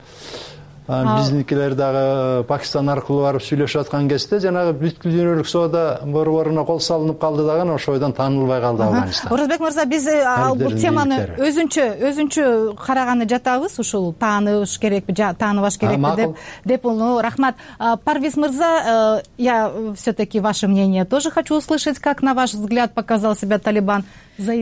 биздикилер дагы Пакистан аркылуу барып сүйлөшүп аткан кезде жанагы бүткүл дүйнөлүк соода борборуна кол салынып калды дагы ошойдон таанылбай калды Афганистан. Орозбек мырза, биз бул теманы өзүнчө караганы жатабыз. Ушул тааныбаш керекпи, тааныбаш керекпи деп. Рахмат. Парвиз мырза, я все-таки ваше мнение тоже хочу услышать, как на ваш взгляд показал себя Талибан.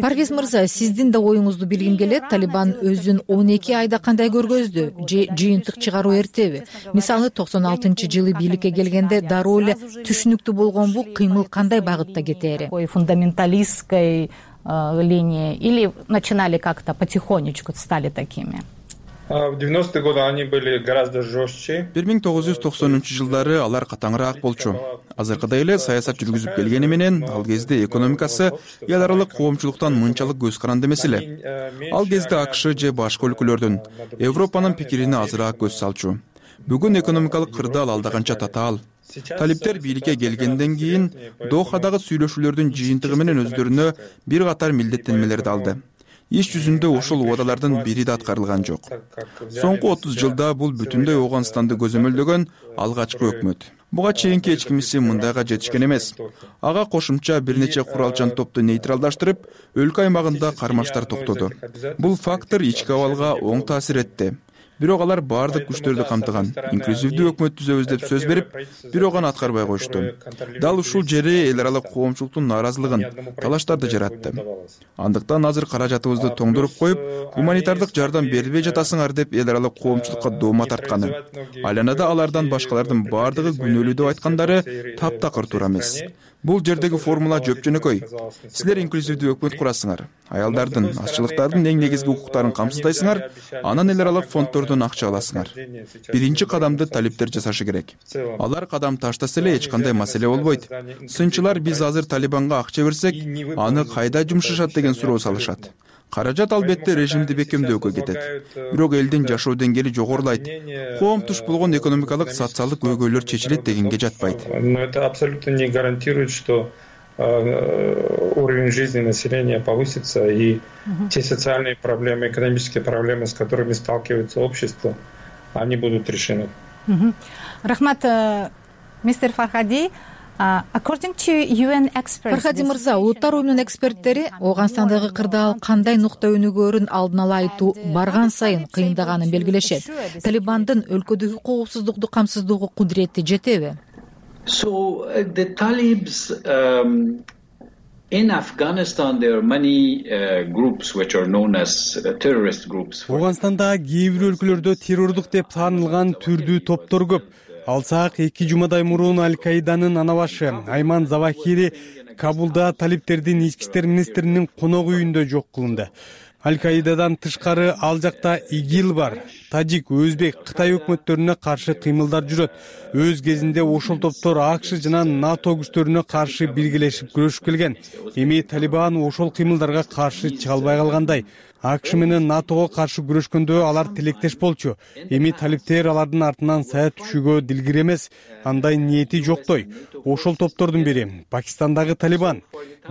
Парвиз мырза, сиздин да оюңузду билгим келет. Талибан өзүн 12 айда кандай көргөздү? Же жыйынтык чыгаруу эртеби? Мисалы 96-жылы бийликке келгенде дароо эле түшүнүктүү болгонбу, кыймыл кандай багытта кетери? Фундаменталистской линии или начинали как-то потихонечку, стали такими? В 90-е годы они были гораздо жестче. 1990-жылдары алар катаңыраак болчу. Азыркыдай эле саясат жүргүзүп келгени менен ал кезде экономикасы эл аралык коомчулуктан мынчалык көз каранды эмес эле. Ал кезде АКШ же башка өлкөлөрдүн, Европанын пикирине азыраак көз салчу. Бүгүн экономикалык кырдаал алда канча татаал. Талиптер бийликке келгенден кийин Дохадагы сүйлөшүүлөрдүн жыйынтыгы менен өздөрүнө бир катар милдеттенмелерди алды. Иш жүзүндө ошол убадалардын бири да аткарылган жок. Соңку 30 жылда бул бүтүндөй Афганистанды көзөмөлдөгөн алгачкы өкмөт. Буга чейинки эч кимиси мындайга жетишкен эмес. Ага кошумча бир нече куралчан топту нейтралдаштырып, өлкө аймагында кармаштар токтоду. Бул фактор ички абалга оң таасир этти. Бирок алар баардык күчтөрдү камтыган. Инклюзивдүү өкмөт түзөбүз деп сөз берип, бирок аны аткарбай коюшту. Дал ушул жери эл аралык коомчулуктун нааразылыгын, талаштарды жаратты. Андыктан азыр каражатыбызды тоңдуруп коюп, гуманитардык жардам бербей жатасыңар деп эл аралык коомчулукка доoma тартканы. Айланада алардан башкалардын баардыгы күнөөлүү деп айткандары таптакыр туура эмес. Бул жердеги формула жөп-жөнөкөй. Силер инклюзивдүү өкмөт курасыңар, аялдардын, азчылыктардын эң негизги укуктарын камсыздайсыңар, анан эл аралык фонддордон акча аласыңар. Биринчи кадамды талиптер жасашы керек. Алар кадам таштаса эле эч кандай маселе болбойт. Сынчылар биз азыр Талибанга акча берсек, аны кайда жумшашат деген суроо салышат. Каражат албетте режимди бекемдөөгө кетет. Бирок элдин жашоо деңгээли жогорулайт. Коом туш болгон экономикалык, социалдык көйгөйлөр чечилет дегенге жатпайт. Но это абсолютно не гарантирует, что уровень жизни населения повысится и те социальные проблемы, экономические проблемы, с которыми сталкивается общество, они будут решены. Рахмат, мистер Фархади. Фархади мырза, улуттар уюмунун эксперттери Афганистандагы кырдаал кандай нукта өнүгөөрүн алдын ала айтуу барган сайын кыйындаганын белгилешет. Талибандын өлкөдөгү коопсуздукту камсыздоого кудурети жетеби? So the Talibs in Afghanistan, there are many groups which are known as terrorist groups. Афганистандагы кээ бир өлкөлөрдө террордук деп таанылган түрдүү топтор көп. Алсак 2 жумадай мурун Аль-Каиданын анабашы Айман Завахири Кабулда талиптердин ички иштер министринин конок үйүндө жок кылынды. Аль-Каидадан тышкары ал жакта ИГИЛ бар. тажик, өзбек, Кытай өкмөттөрүнө каршы кыймылдар жүрөт. Өз кезинде ошол топтор АКШ жана НАТО күчтөрүнө каршы биргелешип күрөшүп келген. Эми Талибан ошол кыймылдарга каршы чыга албай калгандай. АКШ менен НАТОго каршы күрөшкөндө алар тилектеш болчу. Эми талиптер алардын артынан сая түшүүгө дилгир эмес, андай ниети жоктой. Ошол топтордун бири Пакистандагы Талибан.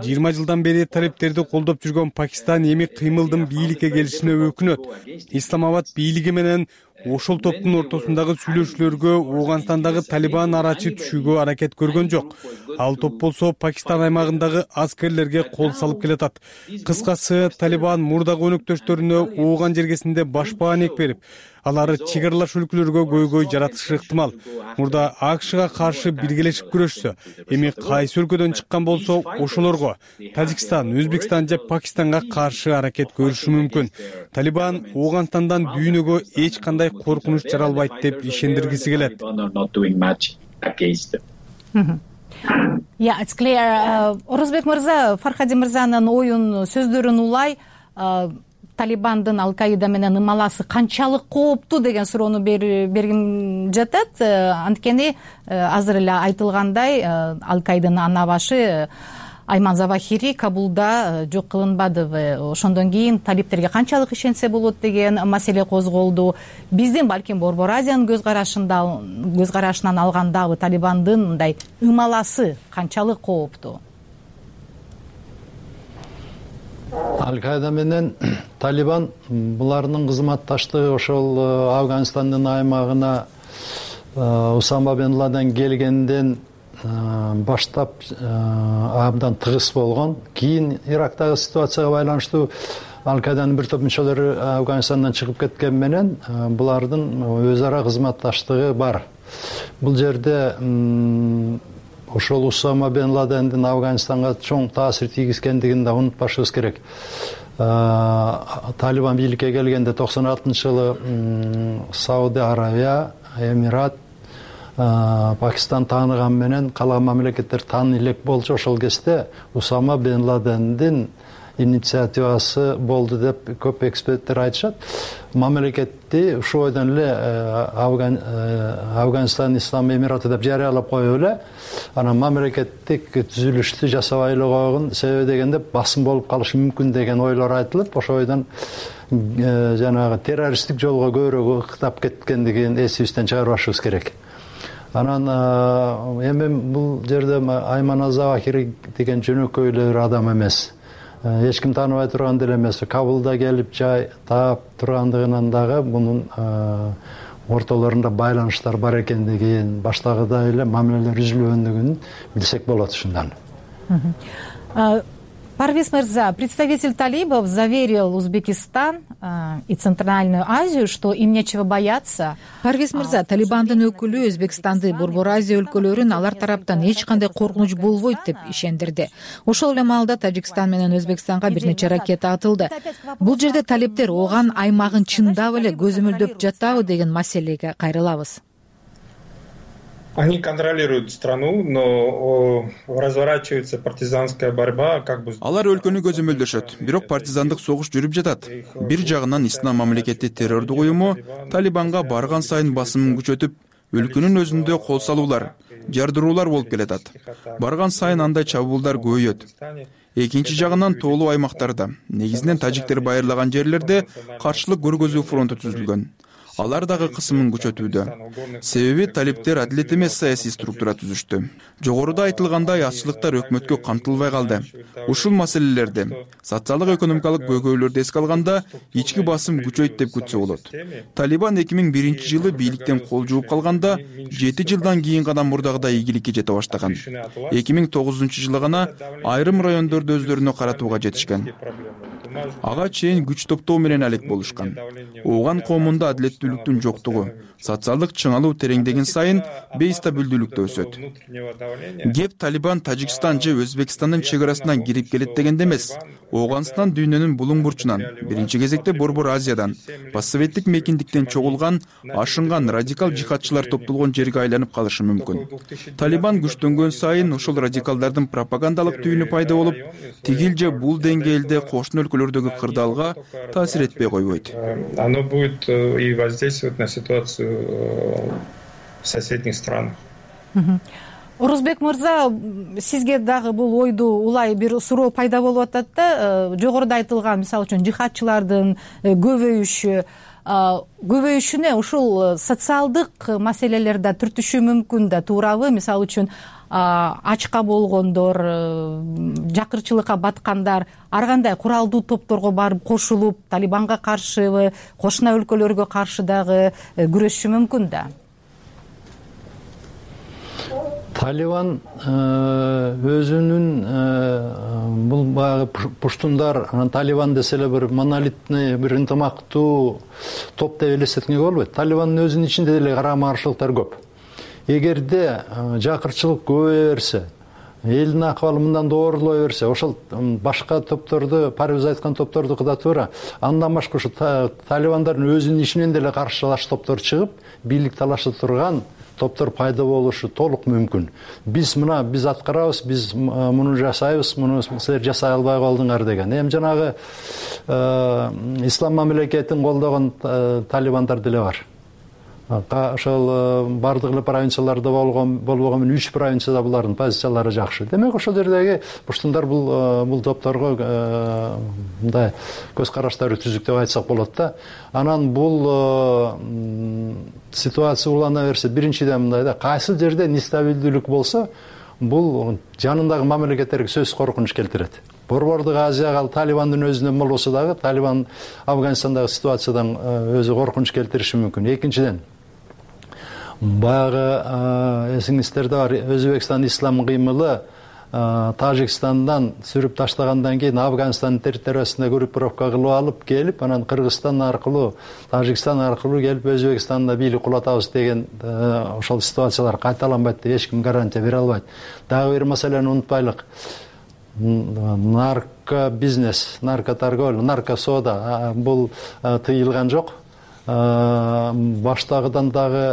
20 жылдан бери талиптерди колдоп жүргөн Пакистан эми кыймылдын бийликке келишине өкүнөт. Исламабад бийлиги менен ошол топтун ортосундагы сүйлөшүүлөргө Ооганстандагы Талибан арачы түшүүгө аракет көргөн жок. Ал топ болсо Пакистан аймагындагы аскерлерге кол салып келатат. Кыскасы, Талибан мурдагы өнөктөштөрүнө Ооган жергесинде башпаанек берип, алары чек аралаш өлкөлөргө көйгөй жаратышы ыктымал. Мурда АКШга каршы биргелешип күрөшсө, эми кайсы өлкөдөн чыккан болсо ошолорго Тажикстан, Өзбекстан же Пакистанга каршы аракет көрүшү мүмкүн. Талибан Ооганстандан дүйнөгө эч кандай коркунуч жаралбайт деп ишендиргиси келет. It's clear. Орозбек мырза, Фархади мырзанын оюн сөздөрүн улай, Талибандын Ал-Каида менен ымаласы канчалык кооптуу деген суроону бергим жатат. Анткени азыр эле айтылгандай, Ал-Каиданын ана башы Айман Завахири Кабулда жок кылынбады. Ошондон кийин талиптерге канчалык ишенсе болот деген маселе козголду. Биздин балким Борбор Азиянын көз карашынан алгандагы Талибандын мындай ымаласы канчалык кооптуу? Ал-Каида менен Талибан булардын кызматташтыгы ошол Афганистандын аймагына Усама бен Ладен келгенден баштап абдан тыгыз болгон. Кийин Ирактагы ситуацияга байланыштуу Ал-Каиданын бир топ мүчөлөрү Афганистандан чыгып кеткен менен булардын өз ара кызматташтыгы бар. Бул жерде ошол Усама бен Ладендин Афганистанга чоң таасир тийгизгендигин да унутпашыбыз керек. Талибан бийликке келгенде 96-жылы Сауди Аравия, Эмират, Пакистан тааныган менен калган мамлекеттер тааны элек болчу. Ошол кезде Усама бен Ладендин инициативасы болду деп көп эксперттер айтышат. Мамлекетти ушул бойдон эле Афганистан Ислам Эмираты деп жарыялап коюп эле, анан мамлекеттик түзүлүштү жасабай эле койгон. Себеби дегенде басым болуп калышы мүмкүн деген ойлор айтылып, ошол бойдон жанагы террористтик жолго көбүрөөк ыктап кеткендигин эсибизден чыгарбашыбыз керек. Анан эми бул жерде Айман Завахири деген жөнөкөй эле бир адам эмес. Эч ким тааныбай турган деле эмес. Кабулда келип жай таап тургандыгынан дагы мунун ортолорунда байланыштар бар экендигин, баштагыдай эле мамилелер үзүлгөндүгүн билсек болот ушундан. Парвиз мырза, представитель талибов заверил Узбекистан и Центральную Азию, что им нечего бояться. Парвиз мырза, Талибандын өкүлү Өзбекстанды, Борбор Азия өлкөлөрүн алар тараптан эч кандай коркунуч болбойт деп ишендирди. Ошол эле маалда Тажикстан менен Өзбекстанга бир нече ракета атылды. Бул жерде талиптер Ооган аймагын чындап эле көзөмөлдөп жатабы деген маселеге кайрылабыз. Они контролируют страну, но разворачивается партизанская борьба, как бы. Алар өлкөнү көзөмөлдөшөт, бирок партизандык согуш жүрүп жатат. Бир жагынан Ислам мамлекети террордук уюму Талибанга барган сайын басымын күчөтүп, өлкөнүн өзүндө кол салуулар, жардыруулар болуп келатат. Барган сайын андай чабуулдар көбөйөт. Экинчи жагынан тоолуу аймактарда, негизинен тажиктер байырлаган жерлерде каршылык көргөзүү фронту түзүлгөн. Алар дагы кысымын күчөтүүдө. Себеби талиптер адилет эмес саясий структура түзүштү. Жогоруда айтылгандай аччылыктар өкмөткө камтылбай калды. Ушул маселелерди, социалдык экономикалык көйгөйлөрдү эске алганда ички басым күчөйт деп күтсө болот. Талибан 2001-жылы бийликтен кол жууп калганда 7 жылдан кийин гана мурдагыдай ийгиликке жете баштаган. 2009-жылы гана айрым райондорду өздөрүнө каратууга жетишкен. Ага чейин күч топтоо менен алек болушкан. Ооган коомунда адилеттүүлүктүн жоктугу, социалдык чыңалуу тереңдеген сайын бейстабилдүүлүк да өсөт. Кеп Талибан Тажикстан же Өзбекстандын чек арасынан кирип келет дегенде эмес. Ооганстан дүйнөнүн булуң бурчунан, биринчи кезекте Борбор Азиядан, постсоветтик мекиндиктен чогулган, ашынган радикал жихадчылар топтолгон жерге айланып калышы мүмкүн. Талибан күчтөнгөн сайын ошол радикалдардын пропагандалык түйүнү пайда болуп, тигил же бул деңгээлде кошуна өлкөлөр өлкөлөрдөгү кырдаалга таасир этпей койбойт. Оно будет и воздействовать на ситуацию в соседних странах. Орозбек мырза, сизге дагы бул ойду улай бир суроо пайда болуп атат да, жогоруда айтылган мисалы үчүн жихадчылардын көбөйүшүнө ушул социалдык маселелер да түртүшү мүмкүн да, туурабы? Мисалы үчүн ачка болгондор, жакырчылыкка баткандар ар кандай куралдуу топторго барып кошулуп, Талибанга каршыбы, кошуна өлкөлөргө каршы дагы күрөшүшү мүмкүн да. Талибан өзүнүн бул баягы пуштундар, Талибан десе эле бир монолитный, бир ынтымактуу топ деп элестеткенге болбойт. Талибандын өзүнүн ичинде деле карама каршылыктар көп. Эгерде жакырчылык көбөйө берсе, элдин акыбалы мындан доорлой берсе, ошол башка топторду, парыз айткан топтордуку да туура. Андан башка ушу талибандардын өзүнүн ичинен деле каршылаш топтор чыгып, бийлик талаша турган топтор пайда болушу толук мүмкүн. Биз аткарабыз, биз муну жасайбыз, муну силер жасай албай калдыңар деген. Эми жанагы ислам мамлекетин колдогон талибандар деле бар. Ошол бардык эле провинцияларда болбогон 3 провинцияда булардын позициялары жакшы. Демек ошол жердеги пуштундар бул топторго мындай көз караштары түзүк деп айтсак болот да. Анан бул ситуация улана берсе, биринчиден мындай да, кайсы жерде нестабилдүүлүк болсо, бул жанындагы мамлекеттерге сөзсүз коркунуч келтирет. Борбордук Азияга Талибандын өзүнөн болбосо дагы, Талибан Афганистандагы ситуациядан өзү коркунуч келтириши мүмкүн. Экинчиден, баягы эсиңиздерде бар, Өзбекстан ислам кыймылы Тажикстандан сүрүп таштагандан кийин Афганистандын территориясында группировка кылып алып келип, анан Кыргызстан аркылуу, Тажикстан аркылуу келип Өзбекстанда бийлик кулатабыз деген ошол ситуациялар кайталанбайт деп эч ким гарантия бере албайт. Дагы бир маселени унутпайлык. Наркобизнес, наркоторговля, наркосода бул тыйылган жок. Баштагыдан дагы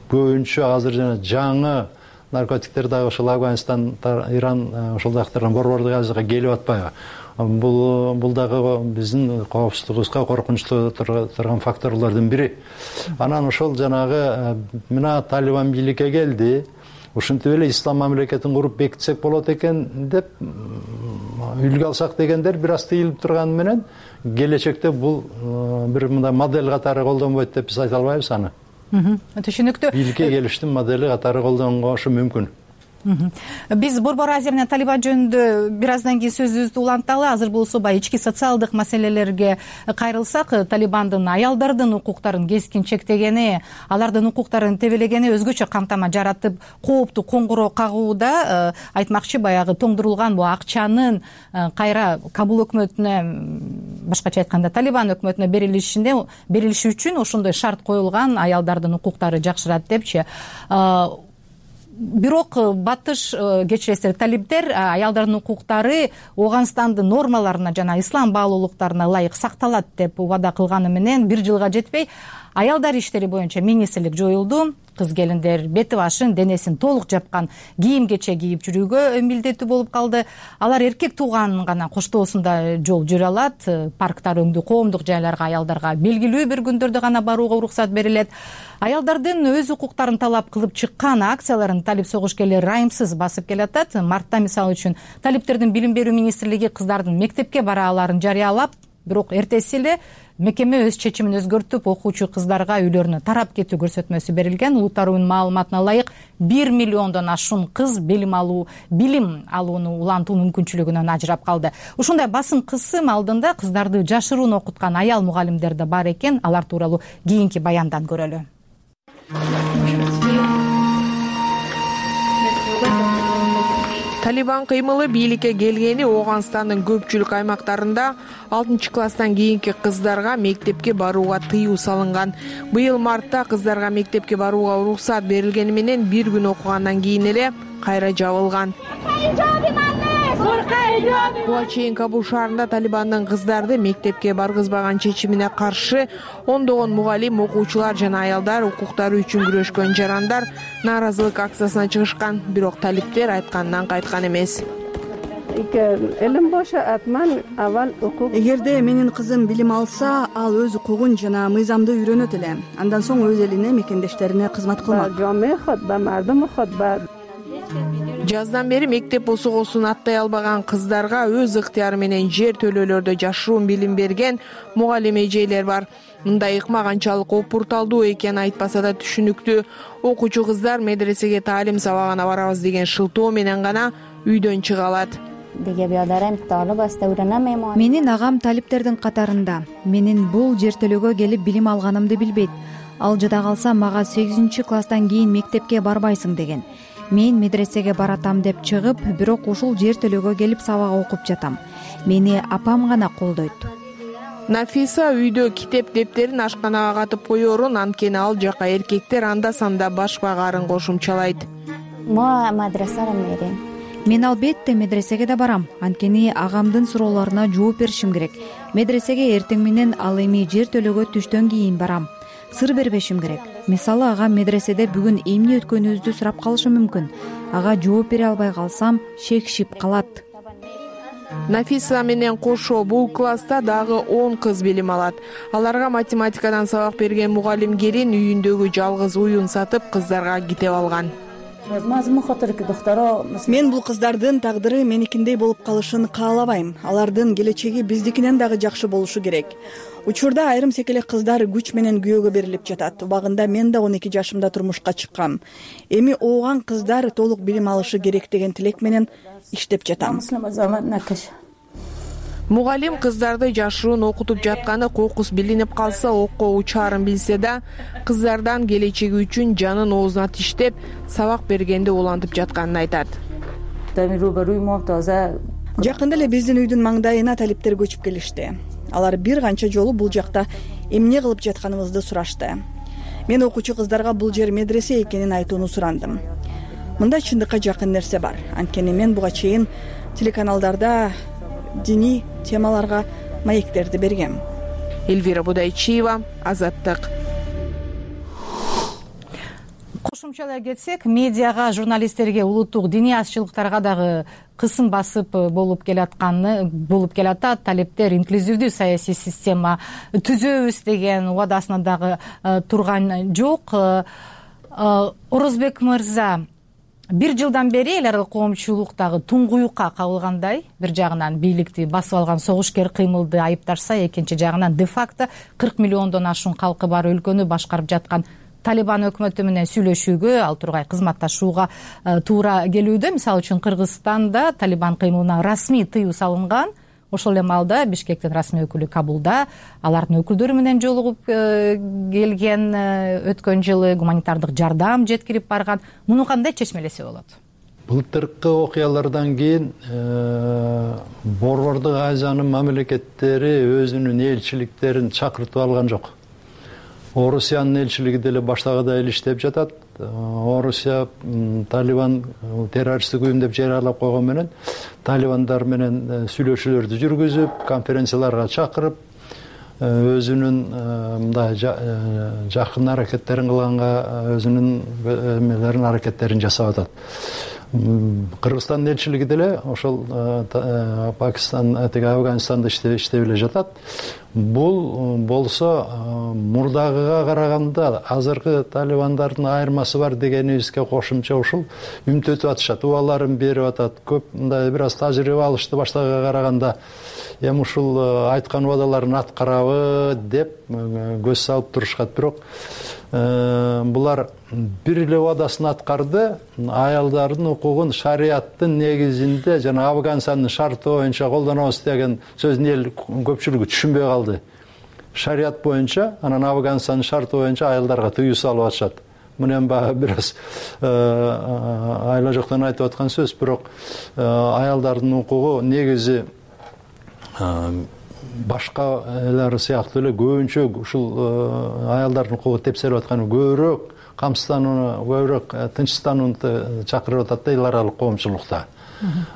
көбүнчө азыр жана жаңы наркотиктер дагы ошол Афганистан, Иран, ошол жактардан Борбордук Азияга келип атпайбы? Бул дагы биздин коопсуздугубузга коркунучтуу турган факторлордун бири. Анан ошол жанагы мына Талибан бийликке келди, ушинтип эле ислам мамлекетин куруп бекитсек болот экен деп үлгү алсак дегендер бир аз тыйылып турганы менен келечекте бул бир мындай модель катары колдонбойт деп биз айта албайбыз аны. Түшүнүктүү. Бийликке келиштин модели катары колдонгошу мүмкүн. Биз Борбор Азия менен Талибан жөнүндө бир аздан кийин сөзүбүздү уланталы. Азыр болсо баягы ички социалдык маселелерге кайрылсак, Талибандын аялдардын укуктарын кескин чектегени, алардын укуктарын тебелегени өзгөчө камтама жаратып, кооптуу коңгуроо кагууда. Айтмакчы, баягы тоңдурулган бул акчанын кайра Кабул өкмөтүнө, башкача айтканда Талибан өкмөтүнө берилиши үчүн ошондой шарт коюлган, аялдардын укуктары жакшырат депчи. Бирок батыш кечиресиздер, талиптер аялдардын укуктары Ооганстандын нормаларына жана ислам баалуулуктарына ылайык сакталат деп убада кылганы менен 1 жылга жетпей аялдар иштери боюнча министрлик жоюлду. Кыз келиндер бети башын, денесин толук жапкан кийим кече кийип жүрүүгө милдеттүү болуп калды. Алар эркек тууганын гана коштоосунда жол жүрө алат. Парктар, өңдүү коомдук жайларга аялдарга белгилүү бир күндөрдө гана барууга уруксат берилет. Аялдардын өз укуктарын талап кылып чыккан акцияларын талип согушкерлери райымсыз басып келатат. Мартта мисалы үчүн талиптердин билим берүү министрлиги кыздардын мектепке барааларын жарыялап, бирок эртеси эле мекеме өз чечимин өзгөртүп, окуучу кыздарга үйлөрүнө тарап кетүү көрсөтмөсү берилген. Улуттар уюмунун маалыматына ылайык 1 миллиондон ашуун кыз билим алууну улантуу мүмкүнчүлүгүнөн ажырап калды. Ушундай басым кысым алдында кыздарды жашыруун окуткан аял мугалимдер да бар экен. Алар тууралуу кийинки баяндан көрөлү. Талибан кыймылы бийликке келгени Ооганстандын көпчүлүк аймактарында 6-класстан кийинки кыздарга мектепке барууга тыюу салынган. Быйыл мартта кыздарга мектепке барууга уруксат берилгени менен 1 күн окугандан кийин эле кайра жабылган. Буга чейин Кабул шаарында Талибандын кыздарды мектепке баргызбаган чечимине каршы ондогон мугалим, окуучулар жана аялдар укуктары үчүн күрөшкөн жарандар нааразылык акциясына чыгышкан. Бирок талиптер айткандан кайткан эмес. Элим боша атман авал укук. Эгерде менин кызым билим алса, ал өз укугун жана мыйзамды үйрөнөт эле. Андан соң өз элине, мекендештерине кызмат кылмак. Жаздан бери мектеп босогосун аттай албаган кыздарга өз ыктыяры менен жер төлөөлөрдө жашыруун билим берген мугалим эжелер бар. Мындай ыкма канчалык опурталдуу экени айтпаса да түшүнүктүү. Окуучу кыздар медресеге таалим сабагына барабыз деген шылтоо менен гана үйдөн чыга алат. Менин агам талиптердин катарында. Менин бул жер төлөөгө келип билим алганымды билбейт. Ал жада калса мага 8-класстан кийин мектепке барбайсың деген. Мен медресеге баратам деп чыгып, бирок ушул жер төлөөгө келип сабак окуп жатам. Мени апам гана колдойт. Нафиса үйдө китеп дептерин ашканага катып коерун, анткени ал жака эркектер анда санда баш багарын кошумчалайт. Мен албетте медресеге да барам, анткени агамдын суроолоруна жооп беришим керек. Медресеге эртең менен ал эми жер төлөөгө түштөн кийин барам. Сыр бербешим керек. Мисалы ага медреседе бүгүн эмне өткөнүбүздү сурап калышы мүмкүн. Ага жооп бере албай калсам, шекшип калат. Нафиса менен кошо бул класста дагы 10 кыз билим алат. Аларга математикадан сабак берген мугалим келин үйүндөгү жалгыз уюн сатып кыздарга китеп алган. Мен бул кыздардын тагдыры меникиндей болуп калышын каалабайм. Алардын келечеги биздикинен дагы жакшы болушу керек. Учурда айрым секелек кыздар күч менен күйөөгө берилип жатат. Убагында мен да 12 жашымда турмушка чыккам. Эми ооган кыздар толук билим алышы керек деген тилек менен иштеп жатам. Мугалим кыздарды жашыруун окутуп жатканы кокус билинип калса окко учаарын билсе да, кыздардан келечеги үчүн жанын оозуна тиштеп, сабак бергенди улантып жатканын айтат. Жакында эле биздин үйдүн маңдайына талиптер көчүп келишти. Алар бир канча жолу бул жакта эмне кылып жатканыбызды сурашты. Мен окуучу кыздарга бул жер медресе экенин айтууну сурандым. Мында чындыкка жакын нерсе бар. Анткени мен буга чейин телеканалдарда диний темаларга маектерди бергем. Эльвира Будайчиева, Азаттык. Кошумчалай кетсек, медиага, журналисттерге, улуттук диний азчылыктарга дагы кысым басып болуп келатат. Талептер инклюзивдүү саясий система түзөбүз деген убадасына дагы турган жок. Орозбек мырза, 1 жылдан бери эл аралык коомчулуктагы туңгуюкка кабылгандай, бир жагынан бийликти басып алган согушкер кыймылды айыпташса, экинчи жагынан де-факто 40 миллиондон ашуун калкы бар өлкөнү башкарып жаткан Талибан өкмөтү менен сүйлөшүүгө, ал тургай кызматташууга туура келүүдө. Мисалы үчүн Кыргызстанда Талибан кыймылына расмий тыюу салынган. Ошол эле маалда Бишкектин расмий өкүлү Кабулда алардын өкүлдөрү менен жолугуп келген, өткөн жылы гуманитардык жардам жеткирип барган. Муну кандай чечмелесе болот? Былтыркы окуялардан кийин Борбордук Азиянын мамлекеттери өзүнүн элчиликтерин чакыртып алган жок. Орусиянын элчилиги деле баштагыдай эле иштеп жатат. Орусия Талибан террористтик уюм деп жарыялап койгон менен талибандар менен сүйлөшүүлөрдү жүргүзүп, конференцияларга чакырып, өзүнүн мындай жакын аракеттерин кылганга өзүнүн аракеттерин жасап атат. Кыргызстандын элчилиги деле ошол Пакистан, Афганистанда иштеп эле жатат. Бул болсо мурдагыга караганда азыркы талибандардын айырмасы бар дегенибизге кошумча ушул үмүт атышат, убаларын берип атат. Көп мындай бир аз тажрыйба алышты баштагыга караганда. Эми ушул айткан убадаларын аткарабы деп көз салып турушат. Бирок булар бир эле убадасын аткарды, аялдардын укугун шариаттын негизинде жана Афганистандын шарты боюнча колдонобуз деген сөзүн эл көпчүлүгү түшүнбөй калды. Шарият боюнча, анан Афганистандын шарты боюнча аялдарга тыюу салып атышат. Мынен баягы бир аз айла жоктон айтып аткан сөз, бирок аялдардын укугу негизи башка элер сыяктуу эле көбүнчө ушул аялдардын укугу тепселип атканы көбүрөөк камсызданууну, көбүрөөк тынчсызданууну чакырып атат да эл аралык коомчулукта.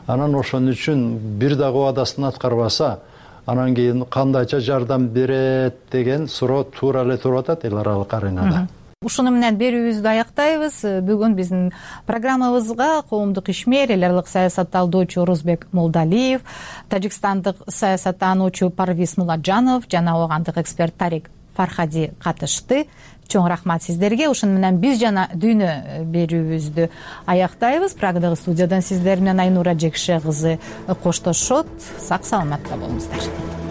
Анан ошон үчүн бир дагы убадасын аткарбаса, анан кийин кандайча жардам берет деген суроо туура эле туруп атат эл аралык аренада. ушуну менен берүүбүздү аяктайбыз. Бүгүн биздин программабызга коомдук ишмер, эл аралык саясат талдоочу Орозбек Молдалиев, тажикстандык саясаттануучу Парвиз Муладжанов жана оогандык эксперт Тарик Фархади катышты. Чоң рахмат сиздерге. Ушуну менен биз жана дүйнө берүүбүздү аяктайбыз. Прагадагы студиядан сиздер менен Айнура Жекше кызы коштошот. Сак саламатта болуңуздар.